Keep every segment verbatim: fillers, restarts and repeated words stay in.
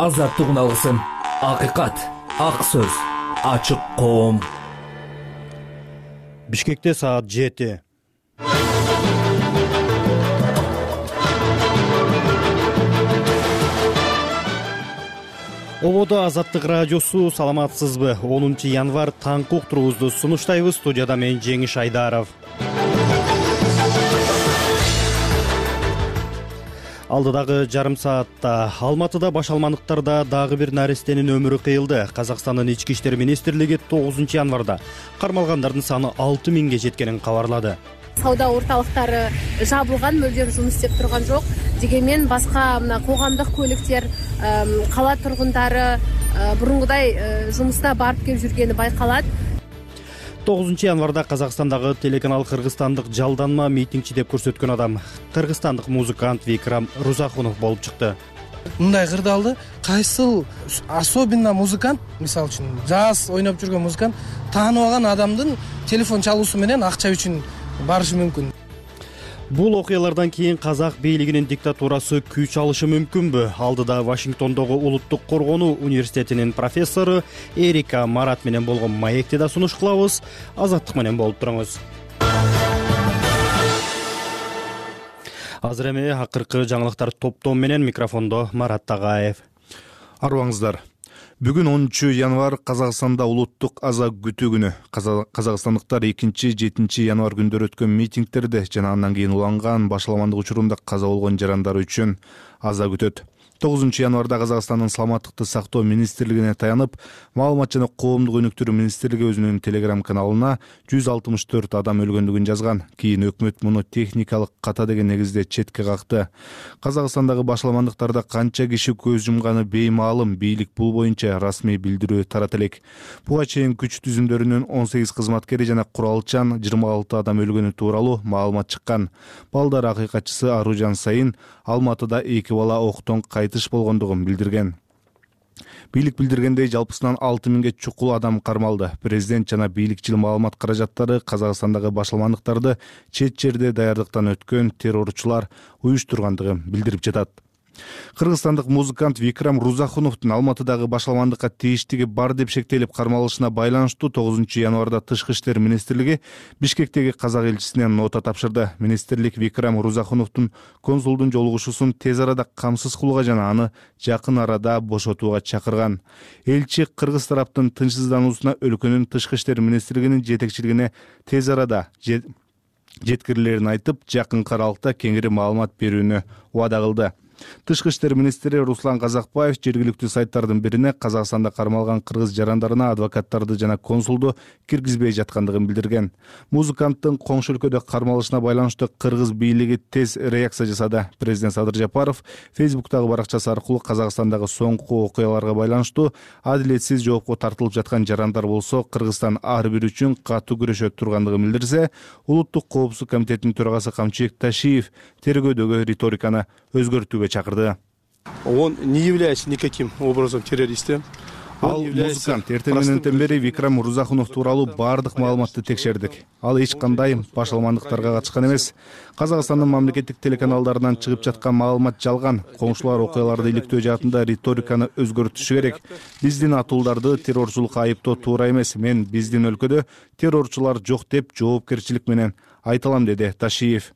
азаттык уналгысын, акыйкат, ак сөз, ачык коом. Бишкекте саат жети. Ободо Азаттык радиосу, саламатсызбы? онунчу январь таңкы уктуруубузду сунуштайбыз. Студияда мен Жеңиш Айдаров. Алдыдагы жарым саатта Алматыда башалмандыктарда дагы бир нарестенин өмүрү кыйылды. Казакстандын ички иштер министрлиги тогузунчу январда кармалгандардын саны алты миңге жеткенин кабарлады. Сауда орталыктары жабылган, мөлдем жумуш иштеп турган жок. Дегенмен башка мына коомдук көлүктөр, кала тургундары бурунгудай жумуста барып келип жүргени байкалат. тогузунчу январда Казакстандагы телеканал кыргызстандык жалданма митингчи деп көрсөткөн адам кыргызстандык музыкант Викрам Рузахунов болуп чыкты. Мындай кырдаалды кайсыл особенно музыкант, мисалы үчүн жаз ойноп жүргөн музыкант тааныбаган адамдын телефон чалуусу менен акча үчүн барышы мүмкүн. Бул окуялардан кийин казак бийлигинин диктатурасы күч алышы мүмкүнбү? Алдыда Вашингтондогу Улуттук коргонуу университетинин профессору Эрика Марат менен болгон маекти да сунуш кылабыз. Азаттык менен болуп туруңуз. Азыр эми акыркы жаңылыктар топтом менен микрофондо Марат Тагаев. Арыбаңыздар. Бүгүн онунчу январь Казакстанда улуттук аза күтүү күнү. Казакстандыктар экинчи жетинчи январь күндөрү өткөн митингтерде жана андан кийин уланган башаламандык учурунда каза болгон жарандар үчүн аза күтөт. тогузунчу январда Казакстандын саламаттыкты сактоо министрлигине таянып, маалымат жана коомдук өнүктүрүү министрлиги өзүнүн телеграм каналына жүз алтымыш төрт адам өлгөндүгүн жазган. Кийин өкмөт муну техникалык ката деген негизде четке какты. Казакстандагы башаламандыктарда канча киши көз жумганы беймаалым, бийлик бул боюнча расмий билдирүү тарата элек. Буга чейин күч түзүмдөрүнүн он сегиз кызматкери жана куралчан жыйырма алты адам өлгөнү тууралуу маалымат чыккан. Балдар акыйкатчысы Аружан Сайын Алматыда эки бала октон кайтыш болгондугун билдирген. Бийлик билдиргендей жалпысынан алты миңге чукул адам кармалды. Президент жана бийликчил маалымат каражаттары Казакстандагы башаламандыктарды чет жерде даярдыктан өткөн террорчулар уюштургандыгын билдирип жатат. Кыргызстандык музыкант Викрам Рузахуновдун Алматыдагы башаламандыкка тийиштиги бар деп шектелип кармалышына байланыштуу тогузунчу январда Тышкы иштер министрлиги Бишкектеги казак элчисине нота тапшырды. Министрлик Викрам Рузахуновдун консулдун жолугушуусун тез арада камсыз кылууга жана аны жакын арада бошотууга чакырган. Элчи кыргыз тараптын тынчсыздануусуна өлкөнүн Тышкы иштер министрлигинин жетекчилигине тез арада жеткирилерин айтып, жакынкы аралыкта кеңири маалымат берүүнү убада кылды. Тышкы иштер министри Руслан Казакбаев жергиликтүү сайттардын бирине Казакстанда кармалган кыргыз жарандарына адвокаттарды жана консулду киргизбей жаткандыгын билдирген. Музыканттын коңшу өлкөдө кармалышына байланыштуу кыргыз бийлиги тез реакция жасады. Президент Садыр Жапаров Фейсбуктагы баракчасы аркылуу Казакстандагы соңку окуяларга байланыштуу адилетсиз жоопко тартылып жаткан жарандар болсо Кыргызстан ар бири үчүн катуу күрөшөт тургандыгын билдирсе, Улуттук коопсуздук комитетинин төрагасы Камчыбек Ташиев тергөөдөгү риториканы өзгөртүүгө чакырды. Он не является никаким образом террористом. Ал музыкант эртең мененден бери Викрам Рузахунов тууралуу бардык маалыматты текшердик. Ал эч кандай башаламандыктарга катышкан эмес. Казакстандын мамлекеттик телеканалдарынан чыгып жаткан маалымат жалган. Коңшулар окуяларды иликтөө жаатында риториканы өзгөртүшү керек. Биздин атууларды террорчулукка айыптоо туура эмес. Мен биздин өлкөдө террорчулар жок деп жоопкерчилик менен айталам, деди Ташиев.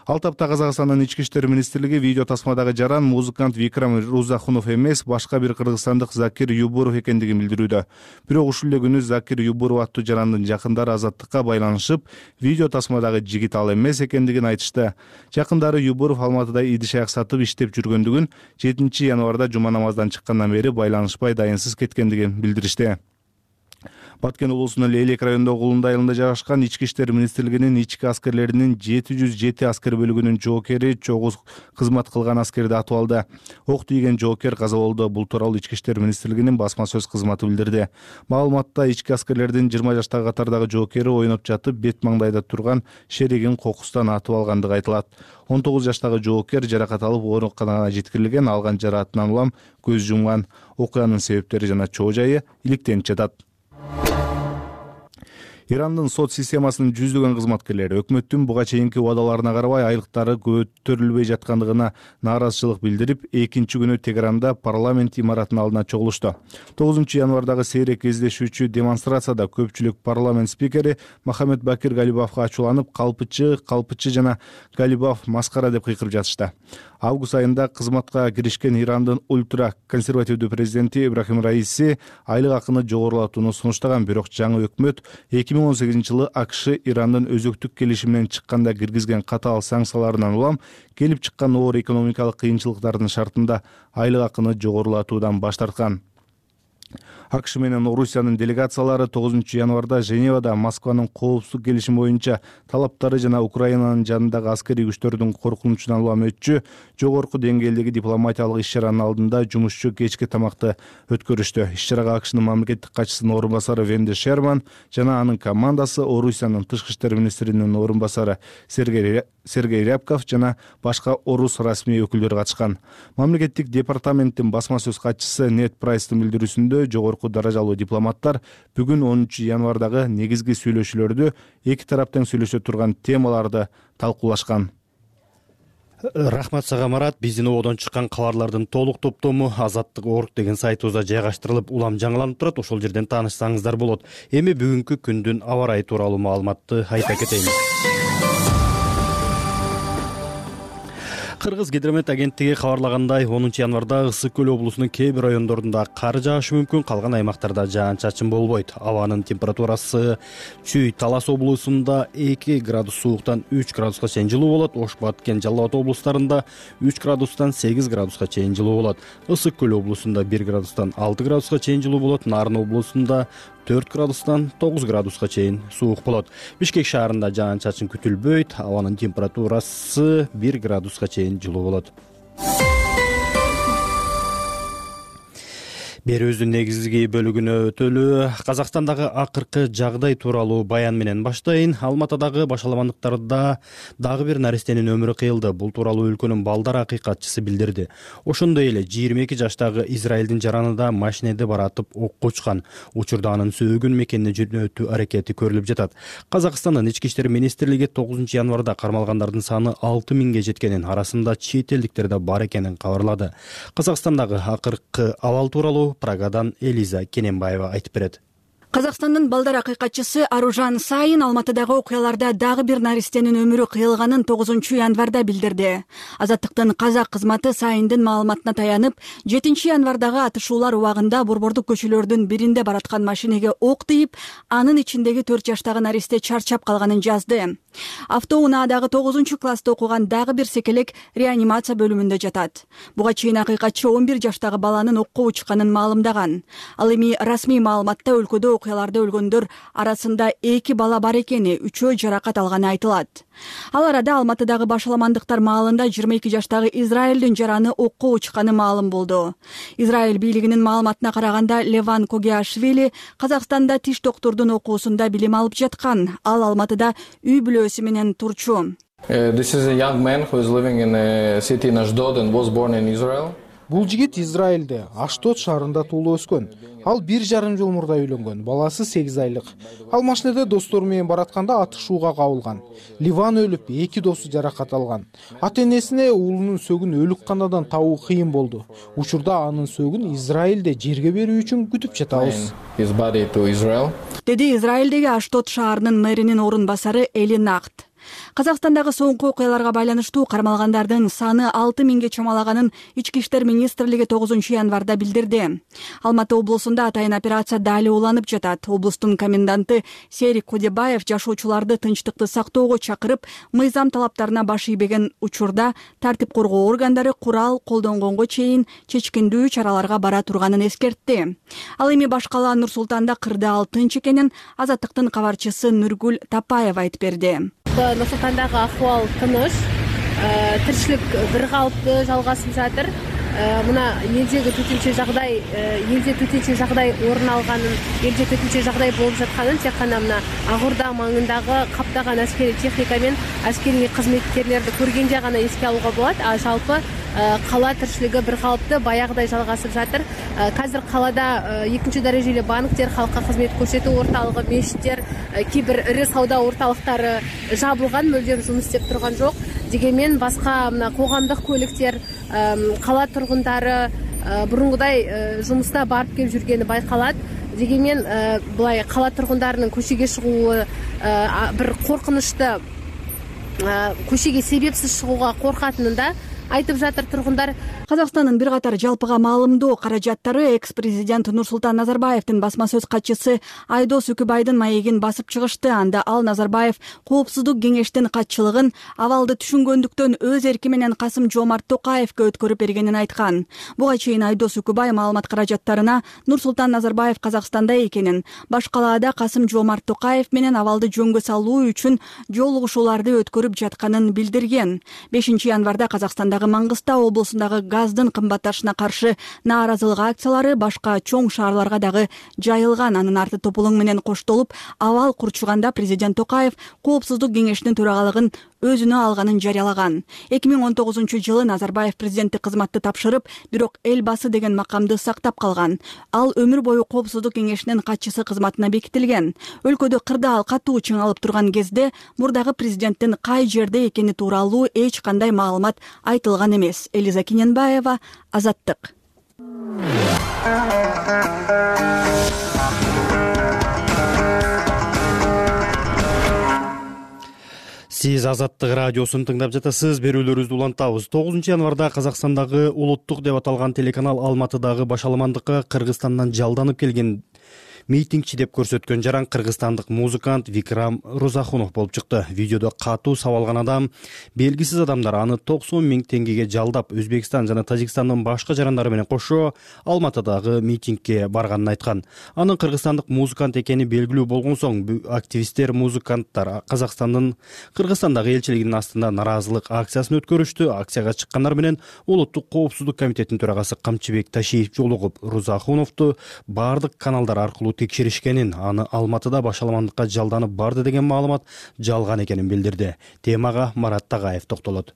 Ал тапта Казакстандын ички иштер министрлиги видео тасмадагы жаран музыкант Викрам Рузахунов эмес, башка бир кыргызстандык Закир Юбуров экендигин билдирүүдө. Бирок ушул эле күнү Закир Юбуров аттуу жарандын жакындары Азаттыкка байланышып, видео тасмадагы жигит ал эмес экендигин айтышты. Жакындары Юбуров Алматыда идиш-аяк сатып иштеп жүргөндүгүн, жетинчи январда жума намаздан чыккандан бери байланышпай дайынсыз кеткендигин билдиришти. Баткен облусунун Лейлек районундагы Улундай айылында жайгашкан ички иштер министрлигинин ички аскерлеринин жети жүз жети аскер бөлүгүнүн жоокери чогуу кызмат кылган аскерди атып алды. Ок тийген жоокер каза болду. Бул тууралуу ички иштер министрлигинин басма сөз кызматы билдирди. Маалыматта ички аскерлердин жыйырма жаштагы катардагы жоокери ойноп жатып, бет маңдайда турган шеригин кокустан атып алгандыгы айтылат. он тогуз жаштагы жоокер жаракат алып ооруканага жеткирилген, алган жараатынан улам көз жумган. Окуянын себептери жана чоо жайы иликтенип жатат. Ирандын сот системасынын жүздөгөн кызматкерлери өкмөттүн буга чейинки убадаларына карабай айлыктары көтөрүлбөй жаткандыгына нааразычылык билдирип, экинчи күнү Тегеранда парламент имаратынын алдына чогулушту. тогузунчу январдагы сейрек кездешүүчү демонстрацияда көпчүлүк парламент спикери Мохаммед Бакир Галибафка ачууланып, калпычы, калпычы жана Галибаф маскара деп кыйкырып жатышты. Август айында кызматка киришкен Ирандын ультра консервативдүү президенти Ибрахим Раиси айлык акыны жогорулатууну сунуштаган, бирок жаңы өкмөт эки миң он сегизинчи жылы АКШ Ирандын өзөктүк келишиминен чыкканда киргизген катаал санкцияларынан улам келип чыккан оор экономикалык кыйынчылыктардын шартында айлык акыны жогорулатуудан баш тарткан. АКШ менен Орусиянын делегациялары тогузунчу январда Женевада Москванын коопсуздук келишими боюнча талаптары жана Украинанын жанындагы аскерий күчтөрдүн коркунучунан улам өтчү жогорку деңгээлдеги дипломатиялык иш-чаранын алдында жумушчу кечки тамакты өткөрүштү. Иш-чарага АКШнын мамлекеттик катчысынын орун басары Венди Шерман жана анын командасы, Орусиянын тышкы иштер министринин орун басары Сергей Сергей Рябков жана башка орус расмий өкүлдөрү катышкан. Мамлекеттик департаменттин басма сөз катчысы Нет Прайстын билдирүүсүндө жогорку даражалуу дипломаттар бүгүн онунчу январдагы негизги сүйлөшүүлөрдө эки тарап тең сүйлөшө турган темаларды талкуулашкан. Рахмат сага, Марат. Биздин ободон чыккан кабарлардын толук топтому Азаттык орг деген сайтыбызда жайгаштырылып, улам жаңыланып турат. Ошол жерден таанышсаңыздар болот. Эми бүгүнкү күндүн аба ырайы тууралуу маалыматты айта кетейин. Кыргыз гидромет агенттиги кабарлагандай, онунчу январда Ысык көл облусунун кээ бир райондорунда кар жаашы мүмкүн, калган аймактарда жаан-чачын болбойт. Абанын температурасы Чүй Талас облусунда эки градус сууктан үч градуска чейин жылуу болот. Ош, Баткен, Жалал Абад облустарында үч градустан сегиз градуска чейин жылуу болот. Ысык көл облусунда бир градустан алты градуска чейин жылуу болот. Нарын облусунда төрт градустан тогуз градуска чейин суук болот. Бишкек шаарында жаан-чачын күтүлбөйт. Абанын температурасы бир градуска чейин жылуу болот. Берүүбүздүн негизги бөлүгүнө өтөлү. Казакстандагы акыркы жагдай тууралуу баян менен баштайын. Алматадагы башаламандыктарда дагы бир наристенин өмүрү кыйылды. Бул тууралуу өлкөнүн балдар акыйкатчысы билдирди. Ошондой эле жыйырма эки жаштагы Израилдин жаранында машинеде баратып окко учкан. Учурда анын сөөгүн мекенине жөнөтүү аракети көрүлүп жатат. Казакстандын ички иштер министрлиги тогузунчу январда кармалгандардын саны алты миңге жеткенин, арасында чет элдиктер да бар экенин кабарлады. Казакстандагы акыркы абал тууралуу Прагадан Элиза Кененбаева айтып берет. Казакстандын балдар акыйкатчысы Аружан Сайын Алматыдагы окуяларда дагы бир наристенин өмүрү кыйылганын тогузунчу январда билдирди. Азаттыктын казак кызматы Сайындын маалыматына таянып, жетинчи январдагы атышуулар убагында борбордук көчөлөрдүн биринде бараткан машинеге ок тийип, анын ичиндеги төрт жаштагы наристе чарчап калганын жазды. Автоунаадагы тогузунчу класста окуган дагы бир секелек реанимация бөлүмүндө жатат. Буга чейин акыйкатчы он бир жаштагы баланын окко учканын маалымдаган. Ал эми расмий маалыматта өлкөдө окуяларда өлгөндөр арасында эки бала бар экени, үчөө жаракат алганы айтылат. Ал арада Алматыдагы башаламандыктар маалында жыйырма эки жаштагы Израилдин жараны окко учканы маалым болду. Израиль бийлигинин маалыматына караганда, Леван Когиашвили Казакстанда тиш доктурдун окуусунда билим алып жаткан. Ал Алматыда үй бүлөсү менен турчу. This is a young man who is living in a city in Ashdod and was born in Israel. Бул жигит Израилде, Аштот шаарында туулуп өскөн. Ал бир жарым жыл мурда үйлөнгөн. Баласы сегиз айлык. Ал машинеде достору менен баратканда атышууга кабылган. Ливан өлүп, эки досу жаракат алган. Ата-энесине уулунун сөөгүн өлүк канадан табуу кыйын болду. Учурда анын сөөгүн Израилде жерге берүү үчүн күтүп жатабыз. Деди Израилдеги Аштот шаарынын мэринин орун басары Эли Нахт. Казакстандагы соңку окуяларга байланыштуу кармалгандардын саны алты миңге чамалаганын ички иштер министрлиги тогузунчу январда билдирди. Алматы облусунда атайын операция дали уланып жатат. Облустун коменданты Серик Кодебаев жашоочуларды тынчтыкты сактоого чакырып, мыйзам талаптарына баш ийбеген учурда тартип коргоо органдары курал колдонгонго чейин чечкиндүү чараларга бара турганын эскертти. Ал эми баш калаа Нур Султанда кырдаал тынч экенин Азаттыктын кабарчысы Нургүл Тапаева айтып берди. Нур Султандагы ахуал тыныч, тиричилик бир калыптуу жалгасып жатыр. Мына элдеги төтөнчө жагдай, элде төтөнчө жагдай орун алганын, элде төтөнчө жагдай болуп жатканын тек гана мына Ак Орда маңындагы каптаган аскерий техника менен аскерий кызметкерлерди көргенде гана эске алууга болот. А жалпы кала тиричилиги бир калыптуу баягыдай жалгасып жатыр. Азыр калада экинчи дарежелүү банктер, калкка кызмет көрсөтүү орталыгы, мечиттер, кээ бир ири сауда орталыктары жабылган, мүлдем жумуш иштеп турган жок. Дегенмен башка мына коомдук көлүктер, кала тургундары бурунгудай жумуста барып келип жүргени байкалат. Дегенмен булай кала тургундарынын көчөгө чыгуу бир коркунучту, көчөгө себепсиз чыгууга коркатынын да айтып жатыр тургундар. Казакстандын бир катар жалпыга маалымдоо каражаттары экс-президент Нурсултан Назарбаевдин басма сөз катчысы Айдос Үкүбайдын маегин басып чыгышты. Анда ал Назарбаев коопсуздук кеңештин катчылыгын абалды түшүнгөндүктөн өз эрки менен Касым Жомарт Токаевге өткөрүп бергенин айткан. Буга чейин Айдос Үкүбай маалымат каражаттарына Нурсултан Назарбаев Казакстанда экенин, баш калаада Касым Жомарт Токаев менен абалды жөнгө салуу үчүн жолугушууларды өткөрүп жатканын билдирген. бешинчи январда Казакстандагы Маңгыстау облусундагы газдын кымбатташына каршы нааразылык акциялары башка чоң шаарларга дагы жайылган. Анын арты топулуң менен коштолуп, абал курчуганда президент Токаев коопсуздук кеңешинин төрагалыгын өзүнө алганын жарыялаган. эки миң он тогузунчу жылы Назарбаев президенттик кызматты тапшырып, бирок эл басы деген макамды сактап калган. Ал өмүр бою коопсуздук кеңешинин катчысы кызматына бекитилген. Өлкөдө кырдаал катуу чыңалып турган кезде мурдагы президенттин кай жерде экени тууралуу эч кандай маалымат айтылган эмес. Элиза Киненбаева, Азаттык. Сиз Азаттык радиосун тыңдап жатасыз. Берүүлөрүбүздү улантабыз. тогузунчу январда Казакстандагы улуттук деп аталган телеканал Алматыдагы башаламандыкка Кыргызстандан жалданып келген митингчи деп көрсөткөн жаран кыргызстандык музыкант Викрам Рузахунов болуп чыкты. Видеодо катуу сабалган адам белгисиз адамдар аны токсон миң теңгеге жалдап, Өзбекстан жана Тажикстандын башка жарандары менен кошо Алматыдагы митингке барганын айткан. Анын кыргызстандык музыкант экени белгилүү болгон соң, активисттер, музыканттар Казакстандын Кыргызстандагы элчилигинин астында наразылык акциясын өткөрүштү. Акцияга чыккандар менен Улуттук коопсуздук комитетинин төрагасы Камчыбек Ташиев жолугуп, Рузахуновду бардык каналдар аркылуу текшеришкенин, аны Алматыда башаламандыкка жалданып барды деген маалымат жалган экенин билдирди. Темага Марат Тагаев токтолот.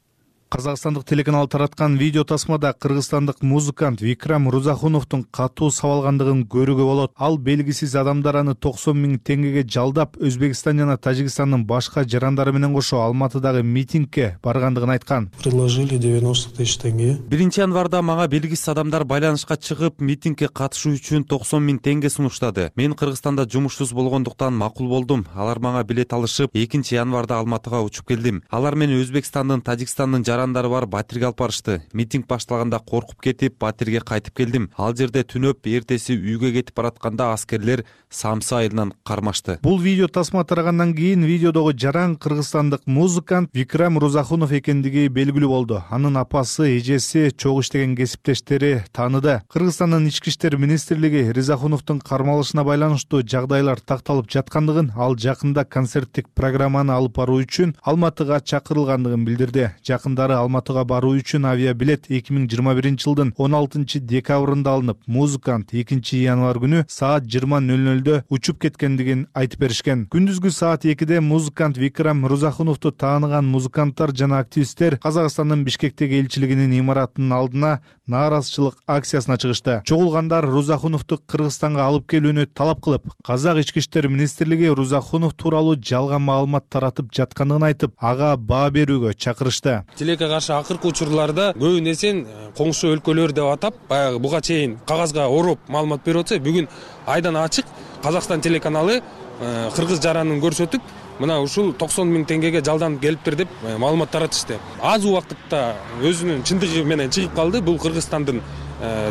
Казакстандык телеканал тараткан видео тасмада кыргызстандык музыкант Викрам Рузахуновдун катуу сабалгандыгын көрүүгө болот. Ал белгисиз адамдар аны токсон миң теңгеге жалдап, Өзбекстан жана Тажикстандын башка жарандары менен кошо Алматыдагы митингке баргандыгын айткан. Предложили девяносто тысяч тенге. биринчи январда мага белгисиз адамдар байланышка чыгып, митингке катышуу үчүн токсон миң теңге сунуштады. Мен Кыргызстанда жумушсуз болгондуктан макул болдум. Алар мага билет алышып, экинчи январда Алматыга учуп келдим. Алар мени Өзбекстандын, Тажикстандын жарандары бар батирге алып барышты. Митинг башталганда коркуп кетип, батирге кайтып келдим. Ал жерде түнөп, эртеси үйгө кетип баратканда аскерлер Самсы айылынан кармашты. Бул видео тасма тарагандан кийин видеодогу жаран кыргызстандык музыкант Викрам Рузахунов экендиги белгилүү болду. Анын апасы, эжеси, чогуу иштеген кесиптештери тааныды. Кыргызстандын ички иштер министрлиги Ризахуновдун кармалышына байланыштуу жагдайлар такталып жаткандыгын, ал жакында концерттик программаны алып баруу үчүн Алматыга чакырылгандыгын билдирди. Жакындары Алматыга баруу үчүн авиабилет эки миң жыйырма биринчи жылдын он алтынчы декабрында алынып, музыкант экинчи январ күнү саат жыйырма нөл нөлдө учуп кеткендигин айтып беришкен. Күндүзгү саат экиде музыкант Викрам Рузахуновду тааныган музыканттар жана активисттер Казакстандын Бишкектеги элчилигинин имаратынын алдына нааразычылык акциясына чыгышты. Чогулгандар Рузахуновду Кыргызстанга алып келүүнү талап кылып, Казак ички иштер министрлиги Рузахунов тууралуу жалган маалымат таратып жаткандыгын айтып, ага баа берүүгө чакырышты. Тилекке каршы акыркы учурларда көбүн эсен коңшу өлкөлөр деп атап, баягы буга чейин кагазга ороп маалымат берип атса, бүгүн айдан ачык Казакстан телеканалы кыргыз жаранын көрсөтүп, мына ушул токсон миң теңгеге жалданып келиптир деп маалымат таратышты. Аз убакытта өзүнүн чындыгы менен чыгып калды. Бул Кыргызстандын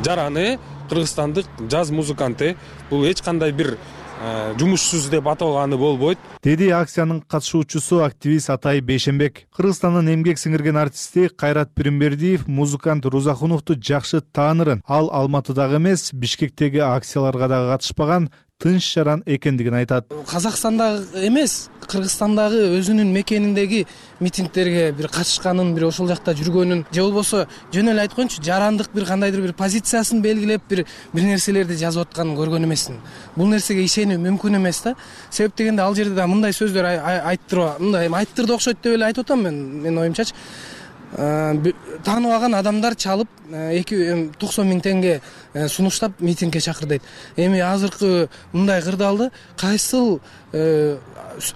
жараны, кыргызстандык жаз музыканты. Бул эч кандай бир жумушсуз деп аталганы болбойт, деди акциянын катышуучусу активист Атай Бейшенбек. Кыргызстандын эмгек сиңирген артисти Кайрат Пиримбердиев музыкант Рузахуновду жакшы таанырын. Ал Алматыдагы эмес, Бишкектеги акцияларга дагы катышпаган, тынч жаран экендигин айтат. Казакстандагы эмес, Кыргызстандагы өзүнүн мекениндеги митингтерге бир катышканын, бир ошол жакта жүргөнүн, же болбосо жөн эле айткончу жарандык бир кандайдыр бир позициясын белгилеп, бир бир нерселерди жазып атканын көргөн эмесмин. Бул нерсеге ишенүү мүмкүн эмес да. Себеп дегенде ал жерде да мындай сөздөр айттырып, мындай айттырды окшойт деп эле айтып атам мен, менин оюмчачы. тааныбаган адамдар чалып эки токсон миң теңге сунуштап митингге чакырдайт. Эми азыркы мындай кырдаалда кайсыл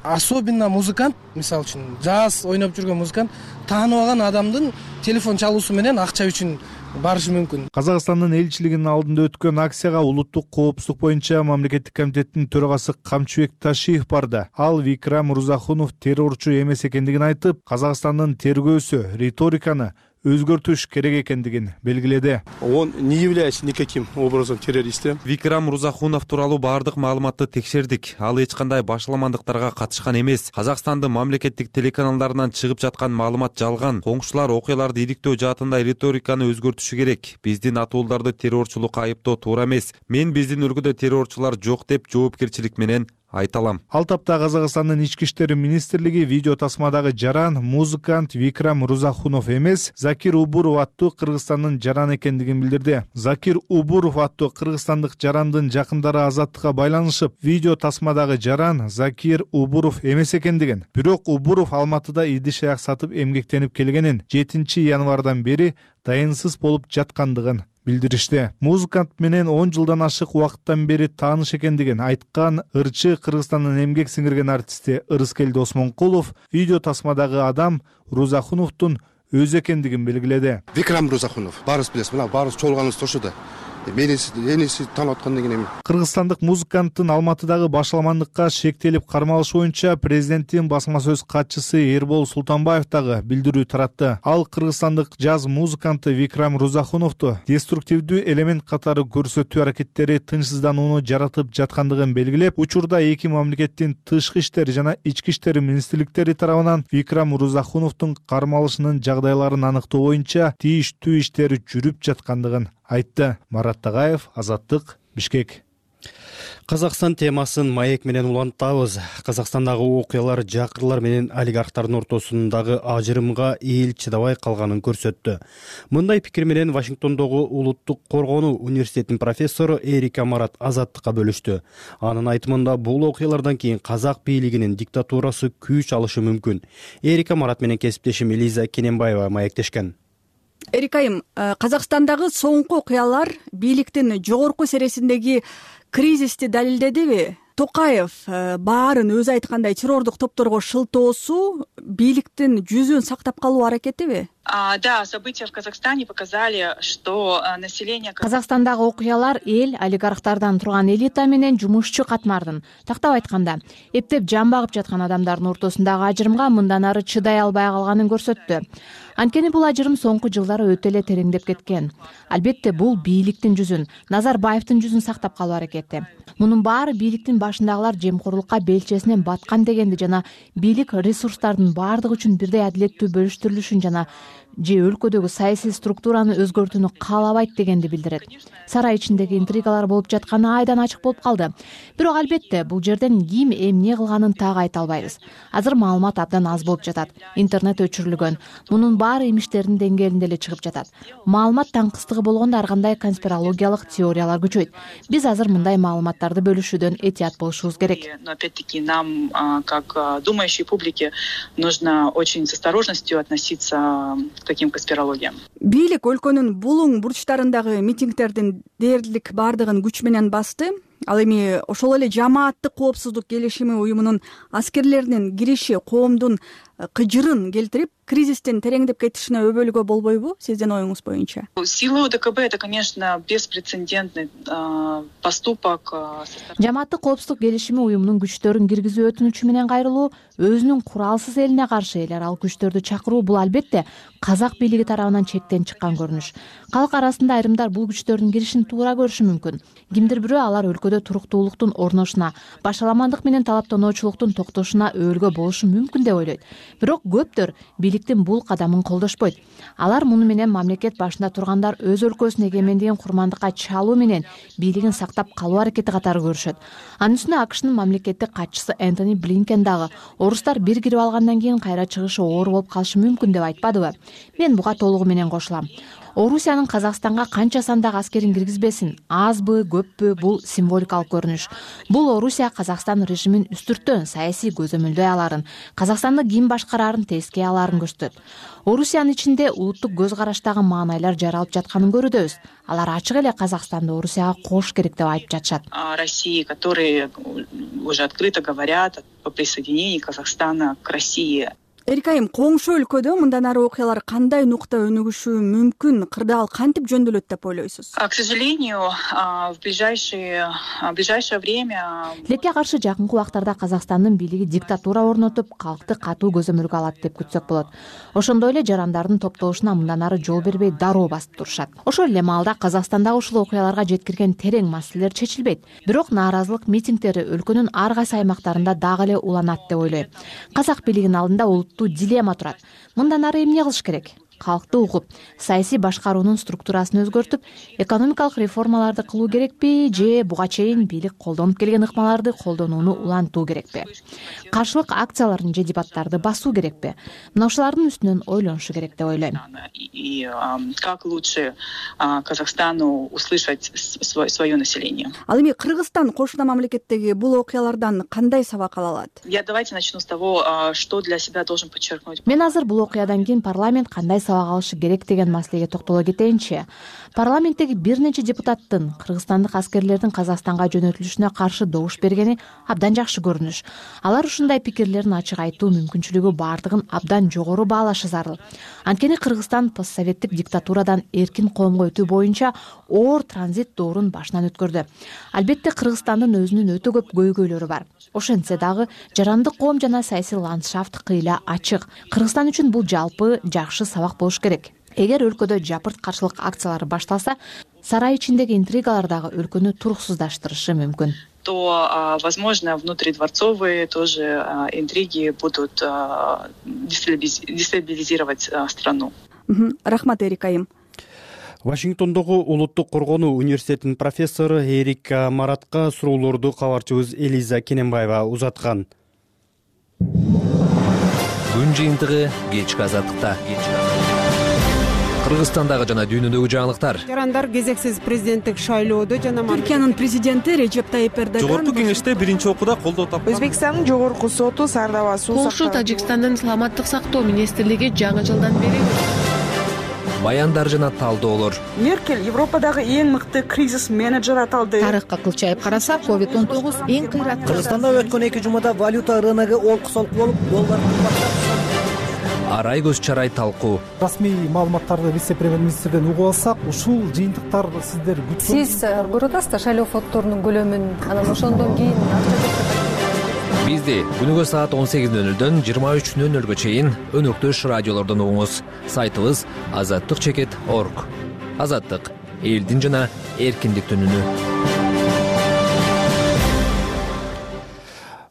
особенно музыкант, мисалы үчүн жаз ойноп жүргөн музыкант тааныбаган адамдын телефон чалуусу менен акча үчүн барышы мүмкүн. Казакстандын элчилигинин алдында өткөн акцияга улуттук коопсуздук боюнча мамлекеттик комитеттин төрагасы Камчыбек Ташиев барды. Ал Викрам Мырзахунов террорчу эмес экендигин айтып, Казакстандын тергөөсү риториканы өзгөртүш керек экендигин белгиледи. Он не является никаким образом террористом. Викрам Мырзахунов тууралуу баардык маалыматты текшердик. Ал эч кандай башаламандыктарга катышкан эмес. Казакстандын мамлекеттик телеканалдарынан чыгып жаткан маалымат жалган. Коңшулар окуяларды иликтөө жаатында риториканы өзгөртүшү керек. Биздин атууларды террорчулукка айыптоо туура эмес. Мен биздин өлкөдө террорчулар жок деп жоопкерчилик менен айта алам. Ал тапта Казакстандын ички иштер министрлиги видео тасмадагы жаран музыкант Викрам Мырзахунов эмес, Закир Убуров аттуу Кыргызстандын жараны экендигин билдирди. Закир Убуров аттуу кыргызстандык жарандын жакындары Азаттыкка байланышып, видео тасмадагы жаран Закир Убуров эмес экендигин, бирок Убуров Алматыда идиш аяк сатып эмгектенип келгенин, жетинчи январдан бери дайынсыз болуп жаткандыгын билдиришти. Музыкант менен он жылдан ашык убакыттан бери тааныш экендигин айткан ырчы Кыргызстандын эмгек сиңирген артисти Ырыскелди Осмонкулов видео тасмадагы адам Рузахуновдун өзү экендигин белгиледи. Викрам Рузахунов, баарыбыз билебиз, мына баарыбыз чогулганыбыз ошодо. Мени энеси таанып аткандан кийин эми. Кыргызстандык музыканттын Алматыдагы башаламандыкка шектелип кармалышы боюнча президенттин басма сөз катчысы Эрбол Султанбаев дагы билдирүү таратты. Ал кыргызстандык жаз музыканты Викрам Рузахуновду деструктивдүү элемент катары көрсөтүү аракеттери тынчсызданууну жаратып жаткандыгын белгилеп, учурда эки мамлекеттин тышкы иштер жана ички иштер министрликтери тарабынан Викрам Рузахуновдун кармалышынын жагдайларын аныктоо боюнча тийиштүү иштери жүрүп жаткандыгын айтты. Марат Тагаев, Азаттык, Бишкек. Казакстан темасын маек менен улантабыз. Казакстандагы окуялар жакырлар менен олигархтардын ортосундагы ажырымга эл чыдабай калганын көрсөттү. Мындай пикир менен Вашингтондогу Улуттук коргонуу университетинин профессору Эрика Марат Азаттыкка бөлүштү. Анын айтымында бул окуялардан кийин казак бийлигинин диктатурасы күч алышы мүмкүн. Эрика Марат менен кесиптешим Элиза Кененбаева маектешкен. Эрикайым, Казакстандагы соңку окуялар бийликтин жогорку сересиндеги кризисти далилдедиби? Токаев баарын өзү айткандай террордук топторго шылтоосу бийликтин жүзүн сактап калуу аракетиби? Да, события в Казахстане показали, что население... Казакстандагы окуялар эл олигархтардан турган элита менен жумушчу катмардын, тактап айтканда, эптеп жан багып жаткан адамдардын ортосундагы ажырымга мындан ары чыдай албай калганын көрсөттү. Анткени бул ажырым соңку жылдары өтө эле тереңдеп кеткен. Албетте бул бийликтин жүзүн, Назарбаевдин жүзүн сактап калуу аракети. Мунун баары бийликтин башындагылар жемкорлукка белчесинен баткан дегенди жана бийлик ресурстардын баардыгы үчүн бирдей адилеттүү бөлүштүрүлүшүн жана же өлкөдөгү саясий структураны өзгөртүүнү каалабайт дегенди билдирет. Сарай ичиндеги интригалар болуп жатканы айдан ачык болуп калды. Бирок албетте бул жерден ким эмне кылганын так айта албайбыз. Азыр маалымат абдан аз болуп жатат. Интернет өчүрүлгөн. Мунун баары имиштердин деңгээлинде эле чыгып жатат. Маалымат таңкыстыгы болгондо ар кандай конспирологиялык теориялар күчөйт. Биз азыр мындай маалыматтарды бөлүшүүдөн этият болушубуз керек. Но опять-таки нам, как думающей публике, нужно очень с осторожностью относиться к таким конспирологиям. Бийлик өлкөнүн булуң бурчтарындагы митингдердин дээрлик баардыгын күч менен басты. Ал эми ошол эле жамааттык коопсуздук келишими уюмунун аскерлеринин кириши коомдун кыжырын келтирип, кризистин тереңдеп кетишине өбөлгө болбойбу? Сиздин оюңуз боюнча. Сила ОДКБ — это, конечно, беспрецедентный поступок. Жамааттык коопсуздук келишими уюмунун күчтөрүн киргизүү өтүнүчү менен кайрылуу өзүнүн куралсыз элине каршы элер ал күчтөрдү чакыруу бул албетте казак бийлиги тарабынан чектен чыккан көрүнүш. Калк арасында айрымдар бул күчтөрдүн киришин туура көрүшү мүмкүн. Кимдир бирөө алар өлкөдө туруктуулуктун орношуна, башаламандык менен талаптоочулуктун токтошуна өөлгө болушу мүмкүн деп ойлойт. Бирок көптөр бийликтин бул кадамын колдошпойт. Алар муну менен мамлекет башында тургандар өз өлкөсүнүн эгемендигин курмандыкка чалуу менен бийлигин сактап калуу аракети катары көрүшөт. Анын үстүнө АКШнын мамлекеттик катчысы Энтони Блинкен дагы орустар бир кирип алгандан кийин кайра чыгышы оор болуп калышы мүмкүн деп айтпадыбы? Мен буга толугу менен кошулам. Орусиянын Казакстанга канча сандагы аскерин киргизбесин, азбы, көппү, бул символикалык көрүнүш. Бул Орусия Казакстан режимин үстүртөн саясий көзөмөлдөй аларын, Казакстанды ким башкарарын тескей аларын көрсөтөт. Орусиянын ичинде улуттук көз караштагы маанайлар жаралып жатканын көрүүдөбүз. Алар ачык эле Казакстанды Орусияга кошуш керек деп айтып жатышат. России, которые уже открыто говорят о присоединении Казахстана к России. Эрик айым, коңшу өлкөдө мындан ары окуялар кандай нукта өнүгүшү мүмкүн? Кырдаал кантип жөндөлөт деп ойлойсуз? К сожалению, в ближайшее в ближайшее время Тилекке каршы жакынкы убактарда Казакстандын бийлиги диктатура орнотуп, калкты катуу көзөмөлгө алат деп күтсөк болот. Ошондой эле жарандардын топтолушуна мындан ары жол бербей дароо басып турушат. Ошол эле маалда Казакстандагы ушул окуяларга жеткирген терең маселелер чечилбейт. Бирок нааразылык митингдери өлкөнүн ар кайсы аймактарында дагы эле уланат деп ойлойм. Казак бийлигинин алдында дилемма турат. Мындан ары эмне кылыш керек? Калкты угуп, саясий башкаруунун структурасын өзгөртүп, экономикалык реформаларды кылуу керекпи же буга чейин бийлик колдонуп келген ыкмаларды колдонууну улантуу керекпи? Каршылык акцияларын же дебаттарды басуу керекпи? Мына ушулардын үстүнөн ойлонушу керек деп ойлойм. И как лучше Казахстану услышать свое население. Ал эми Кыргызстан кошуна мамлекеттеги бул окуялардан кандай сабак ала алат? Я давайте начну с того, что для себя должен подчеркнуть. Мен азыр бул окуядан кийин парламент кандай сабак алышы керек деген маселеге токтоло кетейинчи. Парламенттеги бир нече депутаттын кыргызстандык аскерлердин Казакстанга жөнөтүлүшүнө каршы добуш бергени абдан жакшы көрүнүш. Алар ушундай пикирлерин ачык айтуу мүмкүнчүлүгү бардыгын абдан жогору баалашы зарыл. Анткени Кыргызстан постсоветтик диктатурадан эркин коомго өтүү боюнча оор транзит доорун башынан өткөрдү. Албетте Кыргызстандын өзүнүн өтө көп көйгөйлөрү бар. Ошентсе дагы жарандык коом жана саясий ландшафт кыйла ачык. Кыргызстан үчүн бул жалпы жакшы сабак болуш керек. Эгер өлкөдө жапырт каршылык акциялары башталса, сарай ичиндеги интригалар дагы өлкөнү туруксуздаштырышы мүмкүн. То, возможно, внутридворцовые тоже интриги будут дестабилизировать страну. Рахмат, Эрик айым. Вашингтондогу Улуттук коргонуу университетинин профессору Эрика Маратка суроолорду кабарчыбыз Элиза Кененбаева узаткан. Күн жыйынтыгы кечки азаттыкта. Кыргызстандагы жана дүйнөдөгү жаңылыктар. Жарандар кезексиз президенттик шайлоодо жана Түркиянын президенти Режеп Тайип Эрдоган Жогорку кеңеште биринчи окууда колдоо тапкан. Өзбекстандын жогорку соту Сардаба суу Польша, Тажикстандын саламаттык сактоо министрлиги жаңы жылдан бери баяндар жана талдоолор. Меркель Европадагы эң мыкты кризис менеджер аталды. Тарыхка кылчайып караса, ковид он тогуз эң кыйраттуу. Кыргызстанда өткөн эки жумада валюта рыногу олку-солку болуп, доллар кымбаттап. Арай көз чарай талкуу. Расмий маалыматтарды вице-премьер-министрден угуп алсак, ушул жыйынтыктар сиздер күткөн. Сиз көрүп атасыздар шайлоо фонддорунун көлөмүн, анан ошондон кийин Бизди күнүгө саат он сегиз нөл нөлдөн жыйырма үч нөл нөлгө чейин өнөктөш радиолордон угуңуз. Сайтыбыз азаттык чекит точка орг. Азаттык элдин жана эркиндиктин үнү.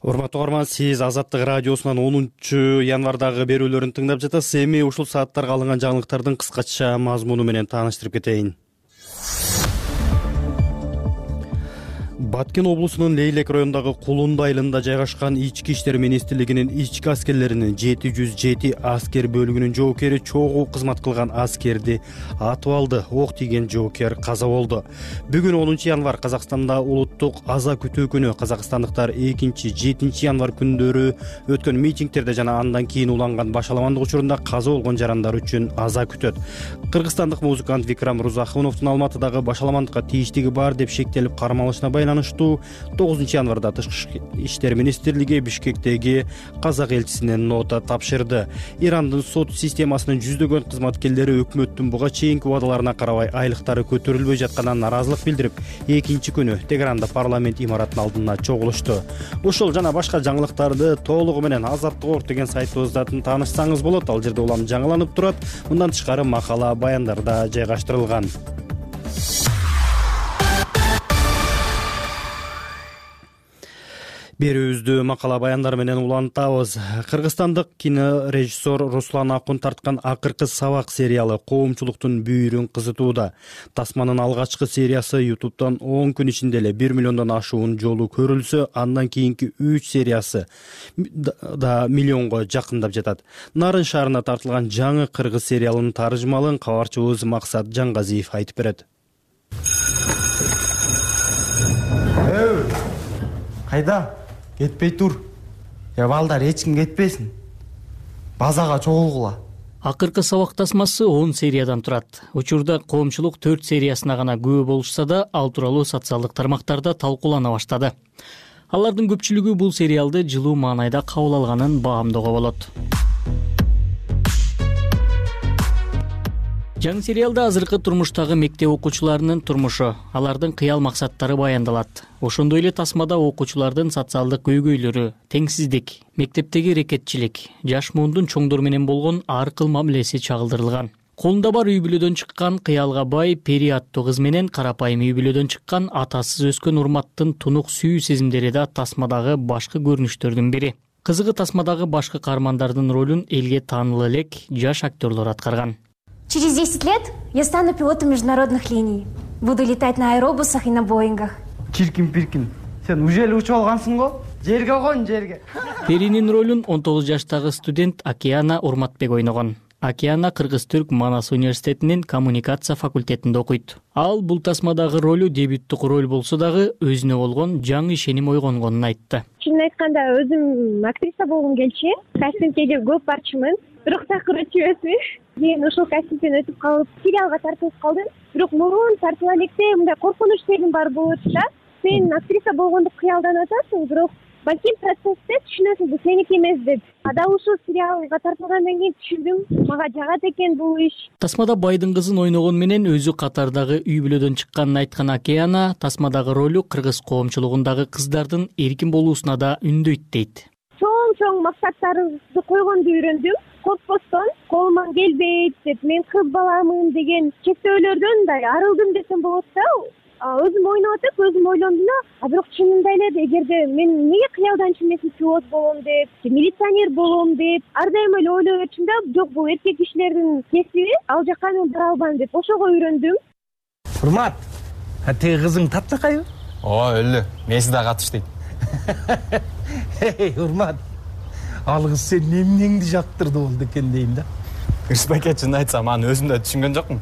Урматтуу угарман, сиз Азаттык радиосунан онунчу январдагы берүүлөрүн тыңдап жатасыз. Эми ушул сааттарга алынган жаңылыктардын кыскача мазмуну менен тааныштырып кетейин. Баткен облусунун Лейлек районундагы Кулунду айылында жайгашкан Ички иштер министрлигинин ички аскерлеринин жети жүз жети аскер бөлүгүнүн жоокери чогуу кызмат кылган аскерди атып алды. Ок тийген жоокер каза болду. Бүгүн онунчу январ Казакстанда улуттук аза күтүү күнү. Казакстандыктар экинчи, жетинчи январ күндөрү өткөн митингтерде жана андан кийин уланган башаламандык учурунда каза болгон жарандар үчүн аза күтөт. Кыргызстандык музыкант Викрам Рузахуновдун Алматыдагы башаламандыкка тийиштиги бар деп шектелип кармалышына байланыштуу тогузунчу январда Тышкы иштер министрлиги Бишкектеги казак элчисине нота тапшырды. Ирандын сот системасынын жүздөгөн кызматкерлери өкмөттүн буга чейинки убадаларына карабай айлыктары көтөрүлбөй жатканына нааразылык билдирип, экинчи күнү Тегеранда парламент имаратынын алдына чогулушту. Ушул жана башка жаңылыктарды толугу менен Азаттык орг деген сайтыбыздан таанышсаңыз болот. Ал жерде улам жаңыланып турат. Мындан тышкары макала, баяндар да жайгаштырылган. Берүүбүздү макала баяндар менен улантабыз. Кыргызстандык кинорежиссер Руслан Акун тарткан акыркы сабак сериалы коомчулуктун бүйүрүн кызытууда. Тасманын алгачкы сериясы ютубтан он күн ичинде эле бир миллиондон ашуун жолу көрүлсө, андан кийинки үч сериясы да миллионго жакындап жатат. Нарын шаарына тартылган жаңы кыргыз сериалынын таржымалын кабарчыбыз Максат Жаңгазиев айтып берет. Кайда? Кетпей тур. Я балдар эч ким кетпесин. Базага чогулгула. Акыркы сабак тасмасы он сериядан турат. Учурда коомчулук төрт сериясына гана күбө болушса да, ал тууралуу социалдык тармактарда талкуулана баштады. Алардын көпчүлүгү бул сериалды жылуу маанайда кабыл алганын баамдоого болот. Жаңы сериалда азыркы турмуштагы мектеп окуучуларынын турмушу, алардын кыял максаттары баяндалат. Ошондой эле тасмада окуучулардын социалдык көйгөйлөрү, теңсиздик, мектептеги рекетчилик, жаш муундун чоңдор менен болгон ар кыл мамилеси чагылдырылган. Колунда бар үй бүлөдөн чыккан кыялга бай Пери аттуу кыз менен карапайым үй бүлөдөн чыккан атасыз өскөн Урматтын тунук сүйүү сезимдери да тасмадагы башкы көрүнүштөрдүн бири. Кызыгы тасмадагы башкы каармандардын ролун элге таанылуу элек жаш актерлор аткарган. Через десять лет я стану пилотом международных линий. Буду летать на аэробусах и на Боингах. Чиркин-пиркин, сен уже эле учуп алгансың го? Жерге кон, жерге. Перинин ролун он тогуз жаштагы студент Океана Урматбек ойногон. Океана Кыргыз-Түрк Манас университетинин коммуникация факультетинде окуйт. Ал бул тасмадагы ролу дебюттук роль болсо дагы өзүнө болгон жаңы ишеним ойгонгонун айтты. Чынын айтканда өзүм актриса болгум келчү. Кастингге көп барчумун. Бирок такыр өтүп эмесмин. Мен ошол кастингден өтүп калып, сериалга тартылып калдым. Бирок мурун тартыла электе мындай коркунуч сезим бар болот да. Сен актриса болгондо кыялданып атасың, бирок балким процессте түшүнөсүң, бул сеники эмес деп. Ада ушул сериалга тартылгандан кийин түшүндүм, мага жагат экен бул иш. Тасмада байдын кызын ойногон менен өзү катардагы үй бүлөдөн чыкканын айткан Океана тасмадагы ролу кыргыз коомчулугундагы кыздардын эркин болуусуна да үндөйт дейт. Чоң-чоң максаттарыңызды койгонду үйрөндүм. Коркпостон, колуман келбейт деп, мен кыз баламын деген чектөөлөрдөн мындай арылдым десем болот да. Өзүм ойноп атып, өзүм ойлондум да, а бирок чынында эле эгерде мен эмнеге кыялдан чимесин пилот болом деп, милиционер болом деп, ар дайым эле ойлоп өтчүм да, жок бул эркек кишилердин кесиби, ал жакка мен бара албайм деп, ошого үйрөндүм. Урмат, а тиги кызың таптакайбы? Ооба, өлү. Меси да катыш дейт. Эй, Урмат. Ал кыз сен эмнеңди жактырды болду экен дейм да. Ырысбек чын айтсам, аны өзүм да түшүнгөн жокмун.